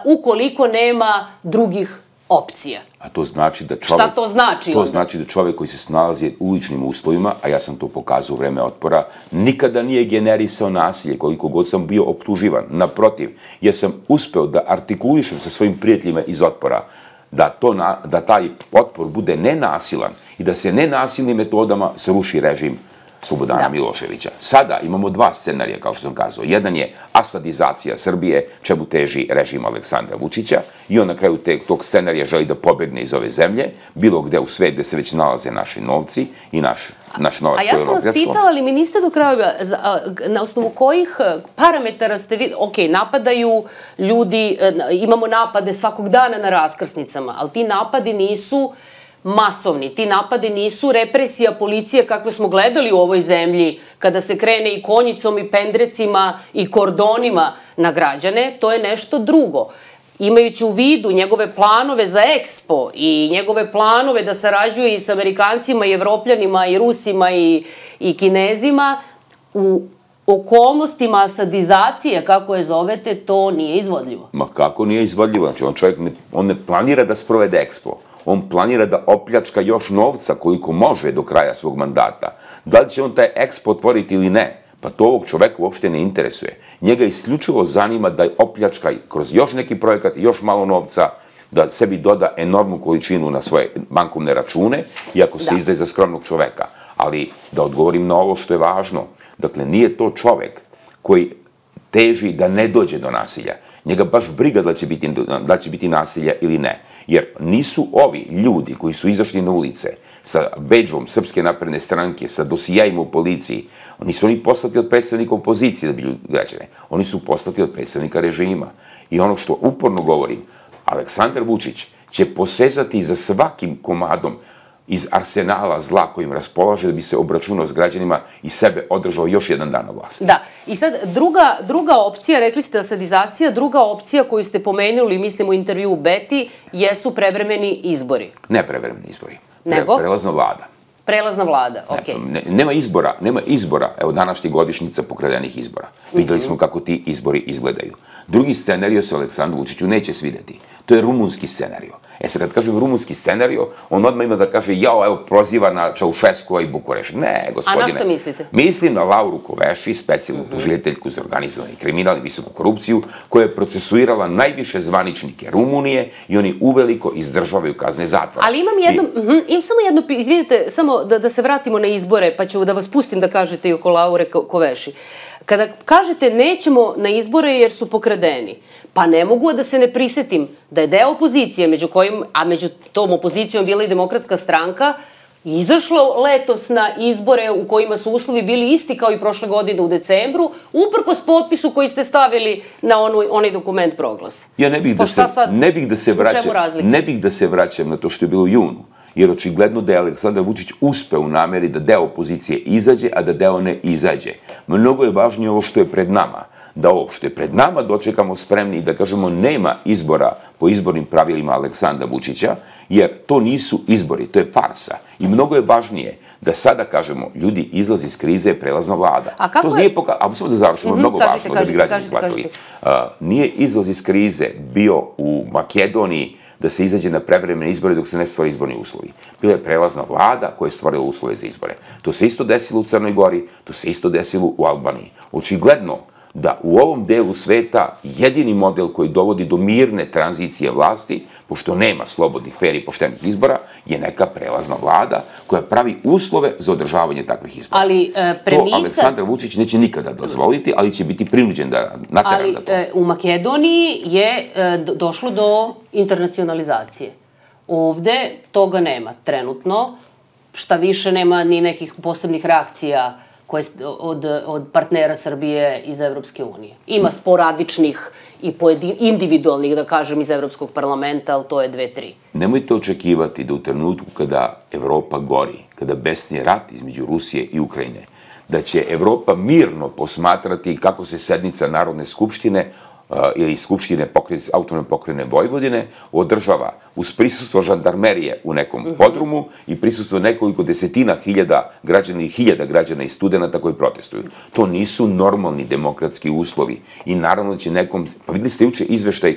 ukoliko nema drugih opcija. A to znači da čovek... Šta to znači onda? To znači da čovek koji se snalazi u uličnim uslovima, a ja sam to pokazao u vreme otpora, nikada nije generisao nasilje, koliko god sam bio optuživan. Naprotiv, ja sam uspeo da artikulišem sa svojim prijateljima iz otpora da taj otpor bude nenasilan i da se nenasilnim metodama sruši režim Slobodana Miloševića. Sada imamo dva scenarija, kao što sam kazao. Jedan je asadizacija Srbije, čemu teži režim Aleksandra Vučića, i on na kraju tog scenarija želi da pobegne iz ove zemlje, bilo gde u svet gde se već nalaze naši novci i naš novac koji je opljačko. A ja sam vas pitala, ali mi niste do kraja, na osnovu kojih parametara ste vidjeli, ok, napadaju ljudi, imamo napade svakog dana na raskrsnicama, ali ti napadi nisu masovni. Ti napade nisu represija policije kakve smo gledali u ovoj zemlji, kada se krene i konjicom i pendrecima i kordonima na građane. To je nešto drugo. Imajući u vidu njegove planove za Expo i njegove planove da sarađuje i sa Amerikancima i Evropljanima i Rusima i Kinezima, u okolnostima asadizacije, kako je zovete, to nije izvodljivo. Ma kako nije izvodljivo? Znači, on ne planira da sprovede Expo. On planira da opljačka još novca koliko može do kraja svog mandata. Da li će on taj Expo otvoriti ili ne? Pa to ovog čoveka uopšte ne interesuje. Njega isključivo zanima da opljačka kroz još neki projekat, još malo novca, da sebi doda enormnu količinu na svoje bankovne račune, iako se izdaje za skromnog čoveka. Ali da odgovorim na ovo što je važno, dakle, nije to čovek koji teži da ne dođe do nasilja. Njega baš briga da će biti nasilja ili ne. Jer nisu ovi ljudi koji su izašli na ulice sa bedžom Srpske napredne stranke, sa dosijajima u policiji, nisu oni poslati od predstavnika opozicije da bi građane. Oni su poslati od predstavnika režima. I ono što uporno govorim, Aleksandar Vučić će posezati za svakim komadom iz arsenala zla kojim raspolaže da bi se obračunao s građanima i sebe održao još jedan dan na vlasti. Da. I sad, druga opcija, rekli ste asadizacija, druga opcija koju ste pomenuli, mislim u intervju u Beti, jesu prevremeni izbori. Ne prevremeni izbori. Nego? Prelazna vlada. Prelazna vlada, okej. Nema izbora. Evo, današnja godišnjica pokradenih izbora. Videli smo kako ti izbori izgledaju. Drugi scenario se Aleksandru Vučiću neće svideti. To je rumunski scenario. Sad kad kažem rumunski scenario, on odmah ima da kaže, jao, evo, proziva na Čaušeskova i Bukureš. Ne, gospodine. A na što mislite? Mislim na Lauru Koveši, specijalnu tužiteljku za organizovani kriminal i visoku korupciju, koja je procesuirala najviše zvaničnike Rumunije i oni uveliko izdržavaju kazne zatvora. Ali imam samo jedno, izvinite, samo da se vratimo na izbore, pa ću da vas pustim da kažete i oko Laure Koveši. Kada kažete nećemo na izbore jer su pokradeni, pa ne mogu da se ne prisetim da je deo opozicije, a među tom opozicijom bila i Demokratska stranka, izašlo letos na izbore u kojima su uslovi bili isti kao i prošle godine u decembru, uprkos potpisu koji ste stavili na onaj dokument Proglas. Ja ne bih da se vraćam na to što je bilo u junu, jer očigledno da je Aleksandar Vučić uspeo u nameri da deo opozicije izađe, a da deo ne izađe. Mnogo je važnije ovo što je pred nama, da ovo što je pred nama dočekamo spremni i da kažemo nema izbora po izbornim pravilima Aleksandra Vučića, jer to nisu izbori, to je farsa. I mnogo je važnije da sada kažemo, ljudi, izlaz iz krize je prelazna vlada. A kako je... Samo da završimo, mnogo važno da bi građani shvatili. Nije izlaz iz krize bio u Makedoniji da se izađe na prevremene izbore dok se ne stvore izborni uslovi. Bila je prelazna vlada koja je stvorila uslove za izbore. To se isto desilo u Crnoj Gori, to se isto desilo u Albaniji. Očigledno da u ovom delu sveta jedini model koji dovodi do mirne tranzicije vlasti, pošto nema slobodnih, fer i poštenih izbora, je neka prelazna vlada koja pravi uslove za održavanje takvih izbora. Ali premisa... To Aleksandar Vučić neće nikada dozvoliti, ali će biti prinuđen da natera da to. Ali u Makedoniji je došlo do internacionalizacije. Ovde toga nema trenutno, šta više nema ni nekih posebnih reakcija od partnera Srbije iz Evropske unije. Ima sporadičnih i individualnih, da kažem, iz Evropskog parlamenta, ali to je 2-3. Nemojte očekivati da u trenutku kada Evropa gori, kada besni rat između Rusije i Ukrajine, da će Evropa mirno posmatrati kako se sednica Narodne skupštine ili Skupštine autonomne pokrajine Vojvodine održava uz prisustvo žandarmerije u nekom podrumu i prisustvo nekoliko desetina hiljada građana i hiljada građana i studenta koji protestuju. To nisu normalni demokratski uslovi i naravno da će nekom, pa videli ste juče izveštaj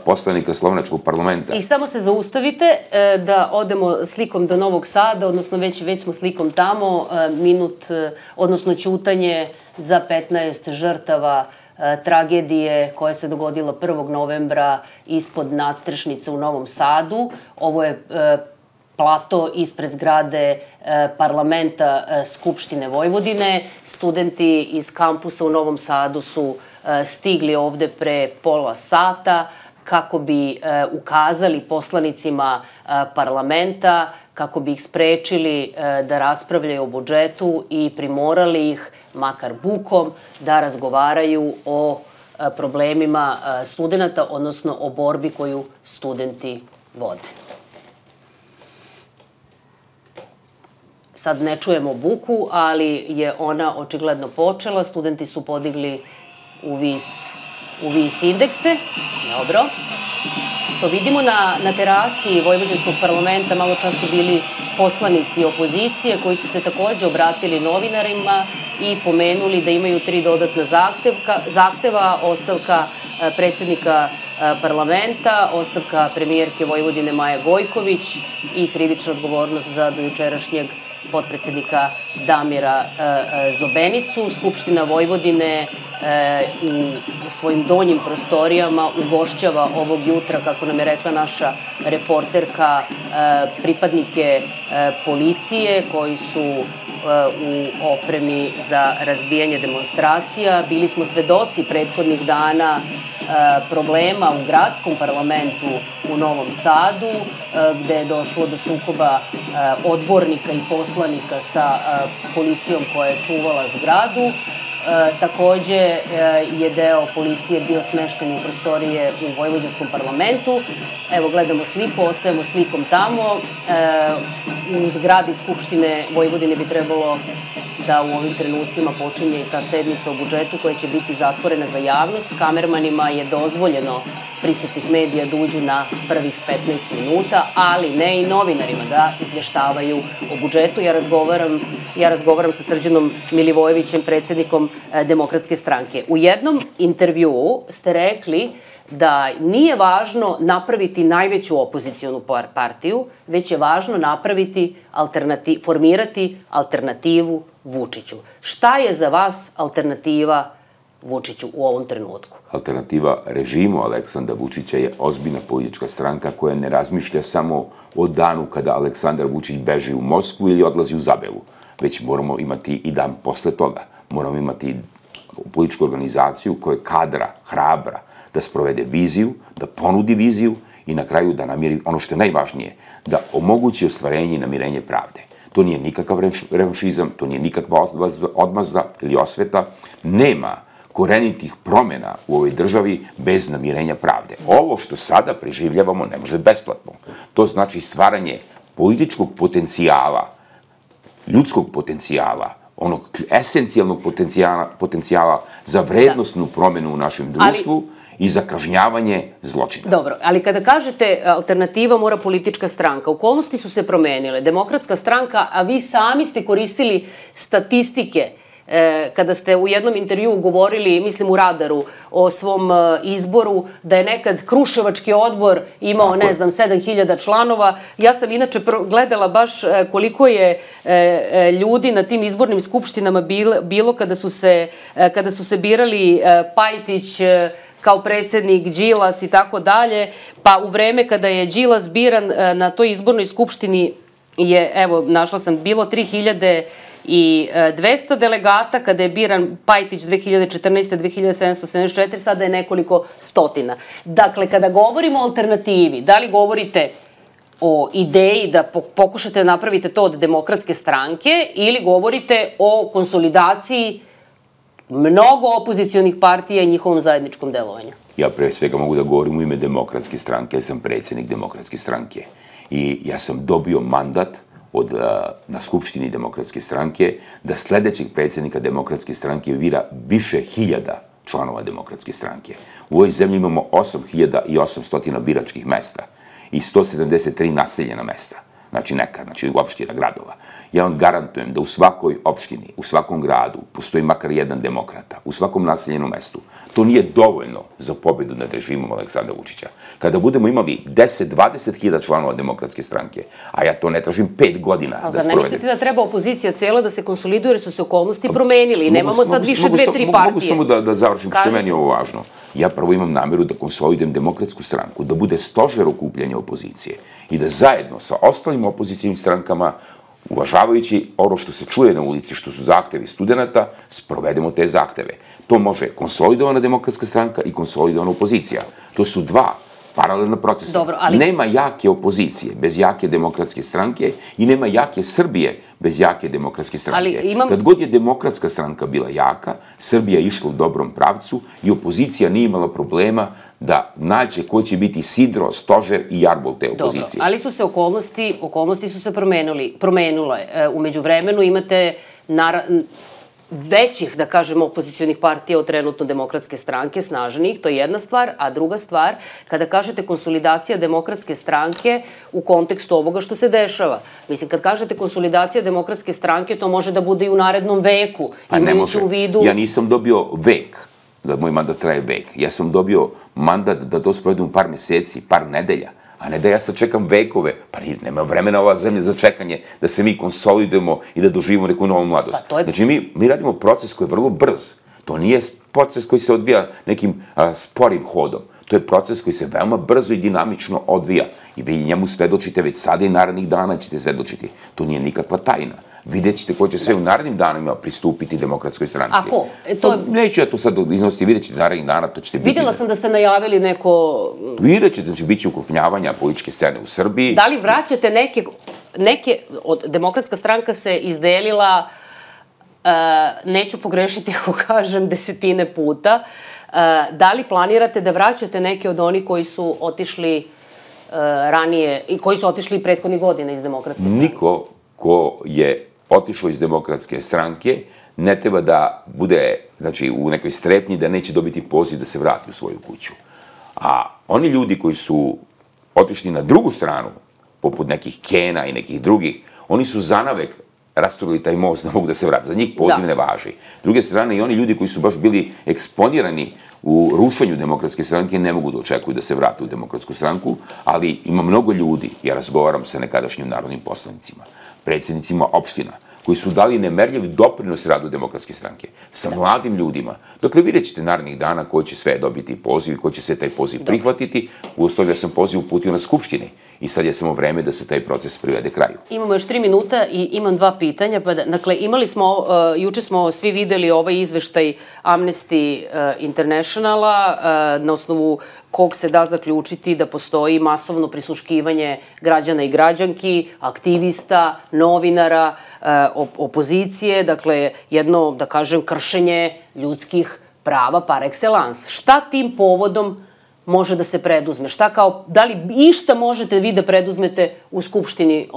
poslanika Slovenačkog parlamenta. I samo se zaustavite da odemo slikom do Novog Sada, odnosno već smo slikom tamo, minut, odnosno ćutanje za 15 žrtava tragedije koja se dogodila 1. novembra ispod nadstrešnice u Novom Sadu. Ovo je plato ispred zgrade parlamenta Skupštine Vojvodine. Studenti iz kampusa u Novom Sadu su stigli ovde pre pola sata kako bi ukazali poslanicima parlamenta, kako bi ih sprečili da raspravljaju o budžetu i primorali ih, makar bukom, da razgovaraju o problemima studenta, odnosno o borbi koju studenti vode. Sad ne čujemo buku, ali je ona očigledno počela. Studenti su podigli u vis indekse. Dobro. To vidimo na terasi Vojvođanskog parlamenta. Malo čas su bili poslanici opozicije koji su se takođe obratili novinarima i pomenuli da imaju 3 dodatna zahteva, ostavka predsednika parlamenta, ostavka premijerke Vojvodine Maje Gojković i krivična odgovornost za dojučerašnjeg potpredsednika Damira Zobenicu. Skupština Vojvodine u svojim donjim prostorijama ugošćava ovog jutra, kako nam je rekla naša reporterka, pripadnike policije koji su u opremi za razbijanje demonstracija. Bili smo svedoci prethodnih dana problema u gradskom parlamentu u Novom Sadu, gde je došlo do sukoba odbornika i poslanika sa policijom koja je čuvala zgradu. Takođe je deo policije bio smešten u prostorije u Vojvođanskom parlamentu. Evo, gledamo sliku, ostajemo slikom tamo. U zgradi Skupštine Vojvodine bi trebalo da u ovim trenucima počinje i ta sednica o budžetu koja će biti zatvorena za javnost. Kamermanima je dozvoljeno prisutnih medija da uđu na prvih 15 minuta, ali ne i novinarima da izveštavaju o budžetu. Ja razgovaram sa Srđanom Milivojevićem, predsjednikom Demokratske stranke. U jednom intervjuu ste rekli da nije važno napraviti najveću opozicijonu partiju, već je važno formirati alternativu Vučiću. Šta je za vas alternativa Vučiću u ovom trenutku? Alternativa režimu Aleksandra Vučića je ozbiljna politička stranka koja ne razmišlja samo o danu kada Aleksandar Vučić beži u Moskvu ili odlazi u Zabelu, već moramo imati i dan posle toga. Moramo imati političku organizaciju koja je kadra, hrabra, da sprovede viziju, da ponudi viziju i na kraju da namiri ono što je najvažnije, da omogući ostvarenje i namirenje pravde. To nije nikakav revanšizam, to nije nikakva odmazda ili osveta. Nema korenitih promjena u ovoj državi bez namirenja pravde. Ovo što sada preživljavamo ne može besplatno. To znači stvaranje političkog potencijala, ljudskog potencijala, onog esencijalnog potencijala za vrednostnu promjenu u našem društvu i za kažnjavanje zločina. Dobro, ali kada kažete alternativa mora politička stranka, okolnosti su se promenile. Demokratska stranka, a vi sami ste koristili statistike kada ste u jednom intervjuu govorili, mislim u Radaru, o svom izboru, da je nekad Kruševački odbor imao, ne znam, 7000 članova. Ja sam inače gledala baš koliko je ljudi na tim izbornim skupštinama bilo kada su se birali Pajtić kao predsjednik, Đilas i tako dalje, pa u vreme kada je Đilas biran na toj izbornoj skupštini je, evo, našla sam, bilo 3200 delegata, kada je biran Pajtić 2014. 2774, sada je nekoliko stotina. Dakle, kada govorimo o alternativi, da li govorite o ideji da pokušate da napravite to od Demokratske stranke ili govorite o konsolidaciji mnogo opozicionih partija i njihovom zajedničkom delovanju? Ja pre svega mogu da govorim u ime Demokratske stranke, jer sam predsjednik Demokratske stranke. I ja sam dobio mandat na Skupštini Demokratske stranke da sledećeg predsjednika Demokratske stranke bira više hiljada članova Demokratske stranke. U ovoj zemlji imamo 8800 biračkih mesta i 173 naseljena mesta. Znači opština, gradova. Ja vam garantujem da u svakoj opštini, u svakom gradu postoji makar jedan demokrata, u svakom naseljenom mestu. To nije dovoljno za pobedu nad režimom Aleksandra Vučića. Kada budemo imali 10-20 hiljada članova Demokratske stranke, a ja to ne tražim 5 godina da sprovedem. Ali zar ne mislite da treba opozicija cijela da se konsoliduje jer su se okolnosti promenili i nemamo sad više 2-3 partije? Mogu samo da završim što je meni ovo važno. Ja prvo imam nameru da konsolidujem Demokratsku stranku, da bude stožer okupljanja opozicije i da zajedno sa ostalim opozicijnim strankama, uvažavajući ono što se čuje na ulici, što su zahtevi studenta, sprovedemo te zahteve. To može konsolidovana Demokratska stranka i konsolidovana opozicija. To su dva paralelna procesa. Nema jake opozicije bez jake Demokratske stranke i nema jake Srbije bez jake Demokratske stranke. Kad god je Demokratska stranka bila jaka, Srbija je išla u dobrom pravcu i opozicija nije imala problema da nađe ko će biti sidro, stožer i jarbol te opozicije. Dobro, ali su se okolnosti su se promenule. Umeđu vremenu imate većih, da kažemo, opozicionih partija od trenutno Demokratske stranke, snažnijih, to je jedna stvar, a druga stvar, kada kažete konsolidacija Demokratske stranke u kontekstu ovoga što se dešava. Mislim, kad kažete konsolidacija Demokratske stranke, to može da bude i u narednom veku, imajući u vidu... Ja nisam dobio vek, da moj mandat traje vek. Ja sam dobio mandat da to sprovedem par meseci, par nedelja, a ne da ja sad čekam vekove. Pa nema vremena ova zemlja za čekanje da se mi konsolidujemo i da doživimo neku novu mladost. Znači, mi radimo proces koji je vrlo brz. To nije proces koji se odvija nekim sporim hodom. To je proces koji se veoma brzo i dinamično odvija. I vi njemu svedočite već sada i narednih dana ćete svedočiti. To nije nikakva tajna. Vidjet ćete ko će sve u narednim danima pristupiti Demokratskoj stranci. A ko? Neću ja to sad iznositi, vidjet ćete narednih dana, to ćete biti... Vidjela sam da ste najavili neko... Vidjet ćete, znači, bit će ukrupnjavanja političke scene u Srbiji. Da li vraćate neke... Demokratska stranka se izdelila, neću pogrešiti ako kažem, desetine puta. Da li planirate da vraćate neke od onih koji su otišli ranije i koji su otišli prethodnih godina iz Demokratske stranke? Niko ko je otišao iz Demokratske stranke ne treba da bude, znači, u nekoj strepnji da neće dobiti poziv da se vrati u svoju kuću. A oni ljudi koji su otišli na drugu stranu, poput nekih Kena i nekih drugih, oni su zanavek rasturili taj most, ne mogu da se vrati. Za njih poziv ne važi. S druge strane, i oni ljudi koji su baš bili eksponirani u rušenju Demokratske stranke ne mogu da očekuju da se vrate u Demokratsku stranku, ali ima mnogo ljudi, ja razgovaram sa nekadašnjim narodnim poslanicima, predsjednicima opština, koji su dali nemerljiv doprinos radu Demokratske stranke, sa mladim ljudima. Dakle, vidjet ćete narednih dana koji će sve dobiti poziv i koji će se taj poziv prihvatiti. Uostalom, ja sam poziv uputio na Skupštini i sad je samo vreme da se taj proces privede kraju. Imamo još 3 minuta i imam 2 pitanja. Dakle, juče smo svi videli ovaj izveštaj Amnesty Internationala, na osnovu kog se da zaključiti da postoji masovno prisluškivanje građana i građanki, aktivista, novinara, opozicije, dakle, jedno, da kažem, kršenje ljudskih prava par excellence. Šta tim povodom može da se preduzme? Da li išta možete vi da preduzmete u Skupštini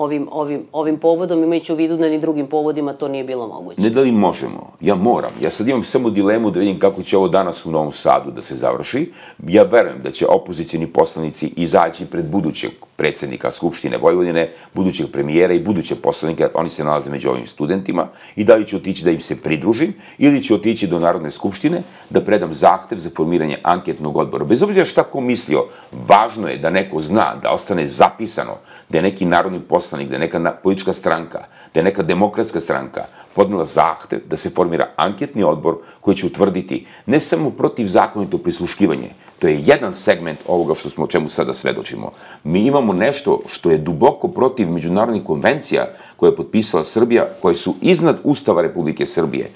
ovim povodom, imajući u vidu da ni drugim povodima to nije bilo moguće? Ne da li možemo, ja moram. Ja sad imam samo dilemu da vidim kako će ovo danas u Novom Sadu da se završi. Ja verujem da će opozicijni poslanici izaći pred budućeg predsjednika Skupštine Vojvodine, budućeg premijera i buduće poslanike, oni se nalaze među ovim studentima, i da li ću otići da im se pridružim ili ću otići do Narodne skupštine da predam zahtev za formiranje anketnog odbora. Bez obzira šta ko mislio, važno je da neko zna, da ostane zapisano da je neki narodni poslanik, da je neka politička stranka, da je neka demokratska stranka podnela zahtev da se formira anketni odbor koji će utvrditi ne samo protivzakonito prisluškivanje, to je jedan segment ovoga o čemu sada svedočimo. Mi imamo nešto što je duboko protiv međunarodnih konvencija koje je potpisala Srbija, koje su iznad Ustava Republike Srbije.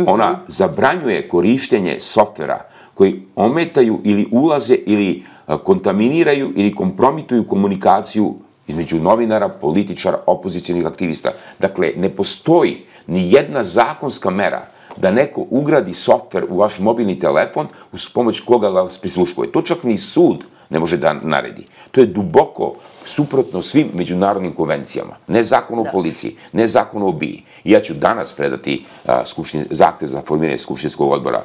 Ona zabranjuje korištenje softvera koji ometaju ili ulaze ili kontaminiraju ili kompromituju komunikaciju između novinara, političara, opozicionih aktivista. Dakle, ne postoji ni jedna zakonska mera da neko ugradi softver u vaš mobilni telefon uz pomoć koga vas prisluškuje. To čak ni sud ne može da naredi. To je duboko suprotno svim međunarodnim konvencijama. Ne zakon o policiji, ne zakon o BIA. I ja ću danas predati zahtev za formiranje skupštinskog odbora,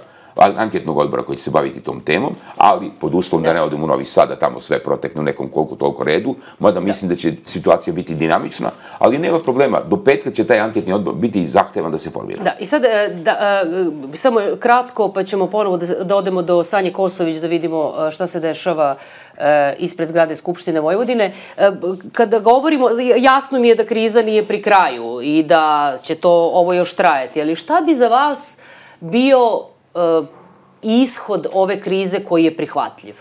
anketnog odbora koji će se baviti tom temom, ali pod uslovom da ne odem u Novi Sad, da tamo sve protekne u nekom koliko toliko redu, mada mislim da će situacija biti dinamična, ali nema problema, do petka će taj anketni odbor biti zahtevan da se formira. Da, i sad, samo kratko, pa ćemo ponovo da odemo do Sanje Kosović da vidimo šta se dešava ispred zgrade Skupštine Vojvodine. Kada govorimo, jasno mi je da kriza nije pri kraju i da će to ovo još trajati, ali šta bi za vas bio ishod ove krize koji je prihvatljiv?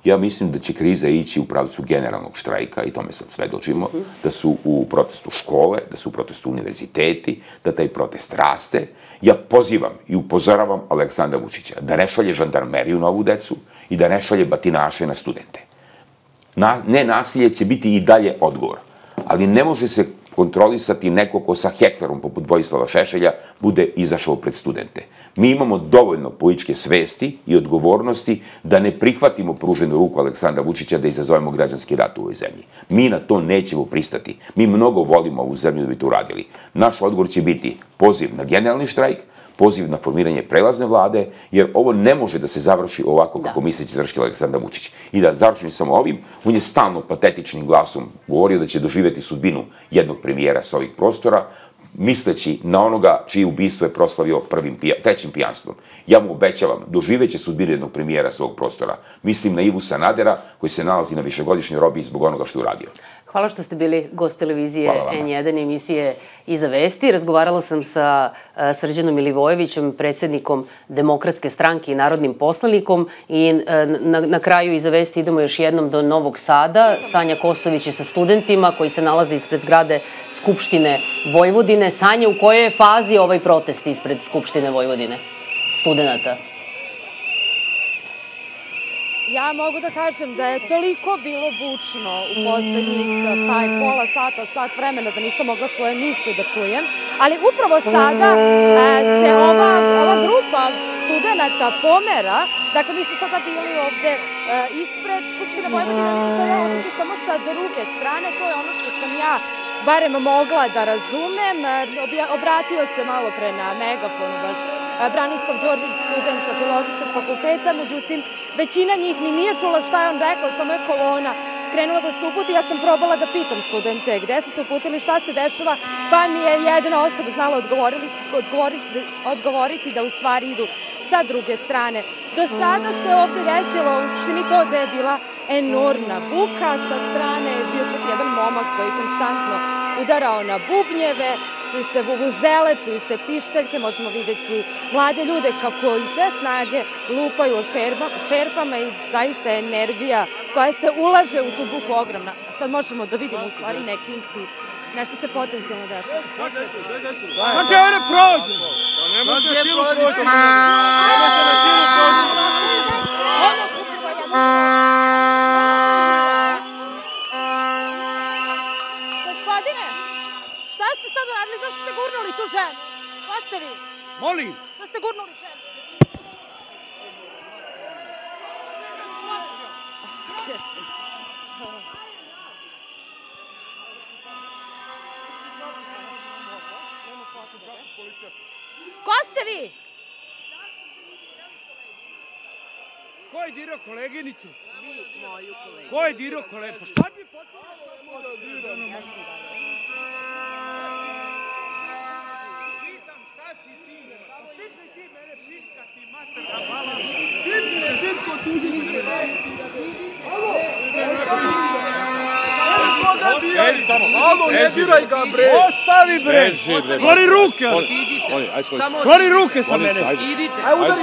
Ja mislim da će kriza ići u pravcu generalnog štrajka, i tome sad svedočimo, da su u protestu škole, da su u protestu univerziteti, da taj protest raste. Ja pozivam i upozoravam Aleksandra Vučića da ne šalje žandarmeriju na ovu decu i da ne šalje batinaše na studente. Nenasilje će biti i dalje odgovor, ali ne može se kontrolisati neko ko sa heklerom poput Vojislava Šešelja bude izašao pred studente. Mi imamo dovoljno političke svesti i odgovornosti da ne prihvatimo pruženu ruku Aleksandra Vučića da izazovemo građanski rat u ovoj zemlji. Mi na to nećemo pristati. Mi mnogo volimo ovu zemlju da bi to uradili. Naš odgovor će biti poziv na generalni štrajk, poziv na formiranje prelazne vlade, jer ovo ne može da se završi ovako kako misle će završiti Aleksandar Vučić. I da završim samo ovim, on je stalno patetičnim glasom govorio da će doživjeti sudbinu jednog premijera sa ovih prostora, misleći na onoga čije ubistvo je proslavio trećim pijanstvom. Ja mu obećavam, doživeće sudbinu jednog premijera sa ovog prostora. Mislim na Ivu Sanadera, koji se nalazi na višegodišnjoj robiji zbog onoga što je uradio. Hvala što ste bili gost televizije N1 emisije Iza vesti. Razgovarala sam sa Srđanom Milivojevićem, predsjednikom Demokratske stranke i narodnim poslanikom, i na kraju Iza vesti idemo još jednom do Novog Sada. Sanja Kosović je sa studentima koji se nalaze ispred zgrade Skupštine Vojvodine. Sanja, u kojoj je fazi ovaj protest ispred Skupštine Vojvodine studenta? Ja mogu da kažem da je toliko bilo bučno u poslednjih pola sata, sat vremena da nisam mogla svoje misli da čujem, ali upravo sada se ova grupa studenta pomera. Dakle, mi smo sada bili ovde ispred Skupštine Vojvodine, mi ću sada otići samo sa druge strane, to je ono što sam ja barem mogla da razumem. Obratio se malo pre na megafonu baš Branislav Đorđević, student sa Filozofskog fakulteta, međutim, većina njih ni nije čula šta je on rekao, samo je kolona krenula da se uputi. Ja sam probala da pitam studente gde su se uputili, šta se dešava, pa mi je jedna osoba znala odgovoriti da u stvari idu sa druge strane. Do sada se ovde desilo u suštini to da je bila enormna buka, sa strane je bio čak jedan momak koji konstantno udarao na bubnjeve, čuju se vuvuzele, čuju se pištaljke, možemo videti mlade ljude kako iz sve snage lupaju o šerpama i zaista je energija koja se ulaže u tu buku ogromna. Sad možemo da vidimo u stvari nekinci, nešto se potencijalno dešava. Kako je ovdje prođe? Ne možete na silu prođe. Ne možete na silu prođe. Gospodine, šta ste sad radili? Zašto ste gurnuli tu ženu? Šta ste vi? Molim. Šta ste gurnuli ženu? Ko ste vi? Ko je dirao koleginicu? Vi, moju koleginicu. Ko je dirao koleginicu? Pa šta bi potpuno da dirao? Pitam šta si ti? Pitaj ti mene, pička ti materna mala. Pitaj pičko tužiti. Alo? Alo, ne diraj ga, bre! Ostavi, bre! Skloni ruke! Skloni ruke sa mene! Idite! Aj, udari,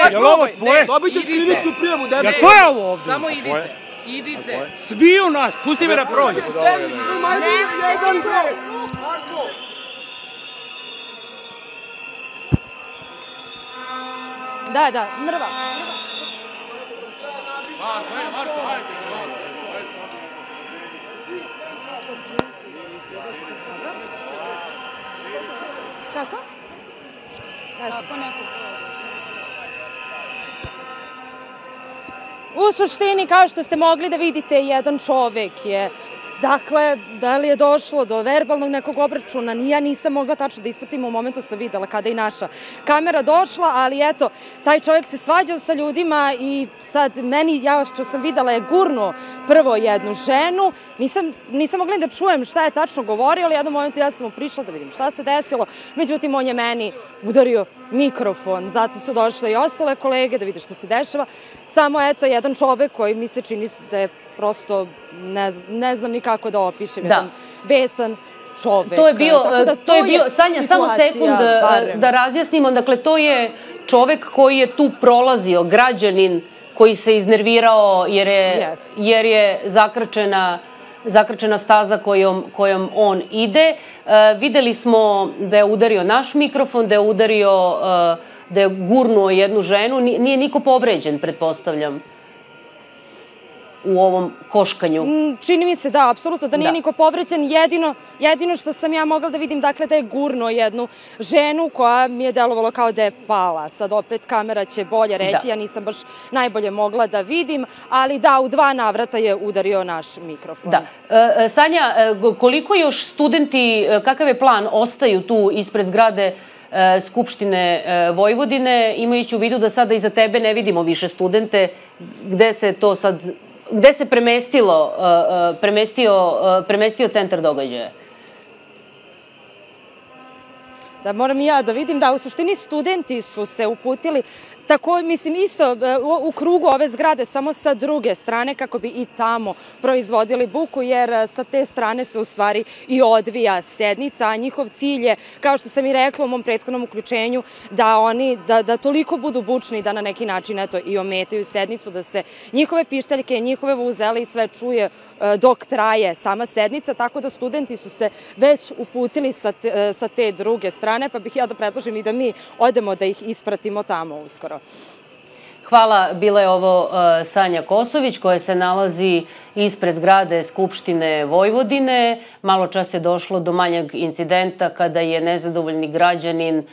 aj, jel ovo tvoje? Dobit ćeš krivičnu prijavu, debel! Jel to je ovo ovdje? Samo idite! Idite! Svi u nas! Pusti me da prođe! Da, mrva. Marko, ajde! Kako? Kako neko U suštini, kao što ste mogli da vidite, jedan čovek je, dakle, da li je došlo do verbalnog nekog obračuna, ja nisam mogla tačno da ispratim, u momentu sam videla kada je i naša kamera došla, ali eto, taj čovjek se svađao sa ljudima i sad meni, ja što sam videla, je gurno prvo jednu ženu, nisam mogla da čujem šta je tačno govorio, ali u jednom momentu ja sam mu prišla da vidim šta se desilo, međutim on je meni udario mikrofon, zatim su došle i ostale kolege da vide šta se dešava, samo eto jedan čovek koji mi se čini da je prosto, ne znam ni kako da opišem, jedan besan čovek. To je bio, Sanja, samo sekund da razjasnimo, dakle to je čovek koji je tu prolazio, građanin koji se iznervirao jer je zakrčena staza kojom on ide. Videli smo da je udario naš mikrofon, da je gurnuo jednu ženu, nije niko povređen, pretpostavljam, u ovom koškanju. Čini mi se da, apsolutno, da nije niko povređen. Jedino što sam ja mogla da vidim, dakle, da je gurnuo jednu ženu koja mi je delovalo kao da je pala. Sad opet kamera će bolje reći, ja nisam baš najbolje mogla da vidim, ali da, u 2 navrata je udario naš mikrofon. Da. Sanja, koliko još studenti, kakav je plan, ostaju tu ispred zgrade Skupštine Vojvodine, imajući u vidu da sada iza tebe ne vidimo više studente, gde se to sad... Gde se premestio centar događaja? Da, moram i ja da vidim da u suštini studenti su se uputili tako, mislim, isto u krugu ove zgrade, samo sa druge strane, kako bi i tamo proizvodili buku, jer sa te strane se u stvari i odvija sednica, a njihov cilj je, kao što sam i rekla u mom prethodnom uključenju, da toliko budu bučni da na neki način i ometaju sednicu, da se njihove pištaljke, njihove vuvuzele i sve čuje dok traje sama sednica, tako da studenti su se već uputili sa te druge strane, pa bih ja da predložim i da mi odemo da ih ispratimo tamo uskoro. Hvala, bila je ovo Sanja Kosović koja se nalazi ispred zgrade Skupštine Vojvodine. Malo čas je došlo do manjeg incidenta kada je nezadovoljni građanin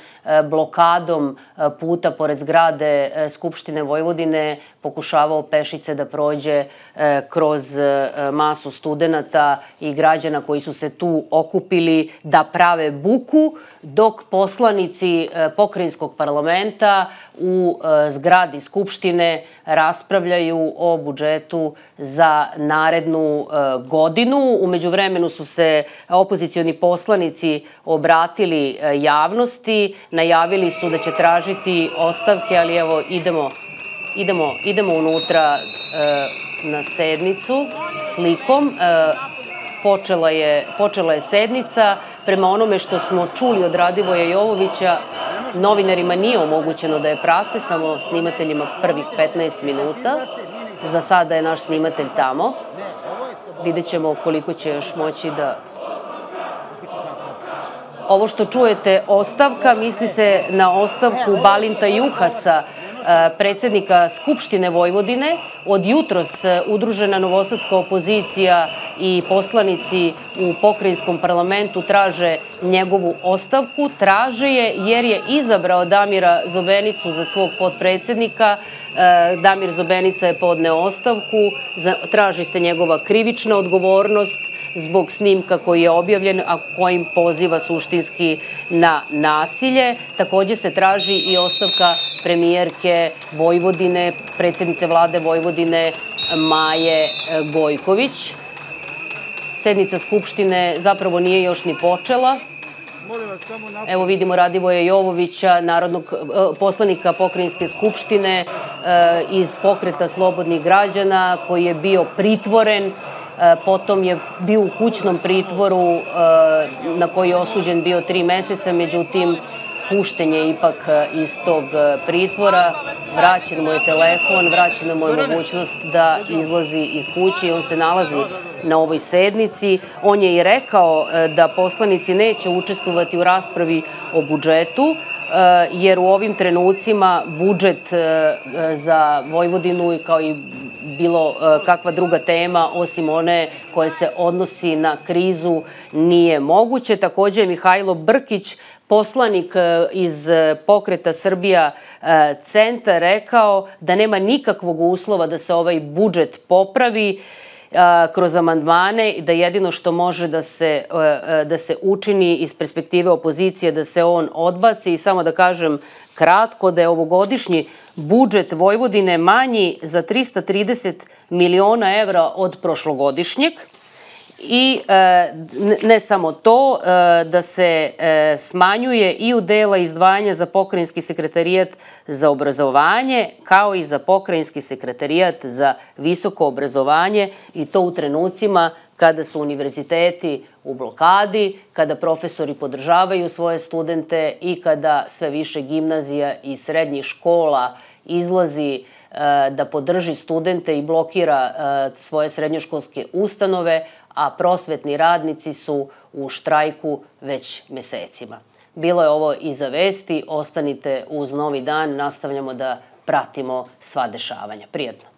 blokadom puta pored zgrade Skupštine Vojvodine pokušavao pešice da prođe kroz masu studenata i građana koji su se tu okupili da prave buku, dok poslanici pokrajinskog parlamenta u zgradi Skupštine raspravljaju o budžetu za narednu godinu. U međuvremenu su se opozicioni poslanici obratili javnosti, najavili su da će tražiti ostavke, ali evo idemo unutra na sednicu slikom. Počela je sednica. Prema onome što smo čuli od Radivoja Jovovića, novinarima nije omogućeno da je prate, samo snimateljima prvih 15 minuta. Za sada je naš snimatelj tamo. Vidjet ćemo koliko će još moći da... Ovo što čujete, ostavka, misli se na ostavku Balinta Juhasa, predsednika Skupštine Vojvodine. Od jutros udružena novosadska opozicija i poslanici u pokrajinskom parlamentu traže njegovu ostavku. Traže je jer je izabrao Damira Zobenicu za svog potpredsednika. Damir Zobenica je podneo ostavku, traži se njegova krivična odgovornost zbog snimka koji je objavljen, a kojim poziva suštinski na nasilje. Takođe se traži i ostavka premijerke Vojvodine, predsednice vlade Vojvodine Maje Gojković. Sednica Skupštine zapravo nije još ni počela. Evo vidimo Radivoja Jovovića, poslanika Pokrajinske skupštine iz Pokreta slobodnih građana, koji je bio pritvoren. Potom je bio u kućnom pritvoru na koji je osuđen bio 3 meseca, međutim pušten je ipak iz tog pritvora. Vraćen mu je telefon, vraćena mu je mogućnost da izlazi iz kuće i on se nalazi na ovoj sednici. On je i rekao da poslanici neće učestvovati u raspravi o budžetu, jer u ovim trenucima budžet za Vojvodinu kao i bilo kakva druga tema, osim one koje se odnosi na krizu, nije moguće. Takođe je Mihajlo Brkić, poslanik iz Pokreta Srbija Centar, rekao da nema nikakvog uslova da se ovaj budžet popravi kroz amandmane i da jedino što može da se učini iz perspektive opozicije da se on odbaci. I samo da kažem kratko da je ovogodišnji budžet Vojvodine manji za 330 miliona evra od prošlogodišnjeg. I ne samo to, da se smanjuje i u dela izdvajanja za pokrajinski sekretarijat za obrazovanje, kao i za pokrajinski sekretarijat za visoko obrazovanje, i to u trenucima kada su univerziteti u blokadi, kada profesori podržavaju svoje studente i kada sve više gimnazija i srednjih škola izlazi da podrži studente i blokira svoje srednjoškolske ustanove, a prosvetni radnici su u štrajku već mesecima. Bilo je ovo Iza vesti, ostanite uz Novi dan, nastavljamo da pratimo sva dešavanja. Prijatno.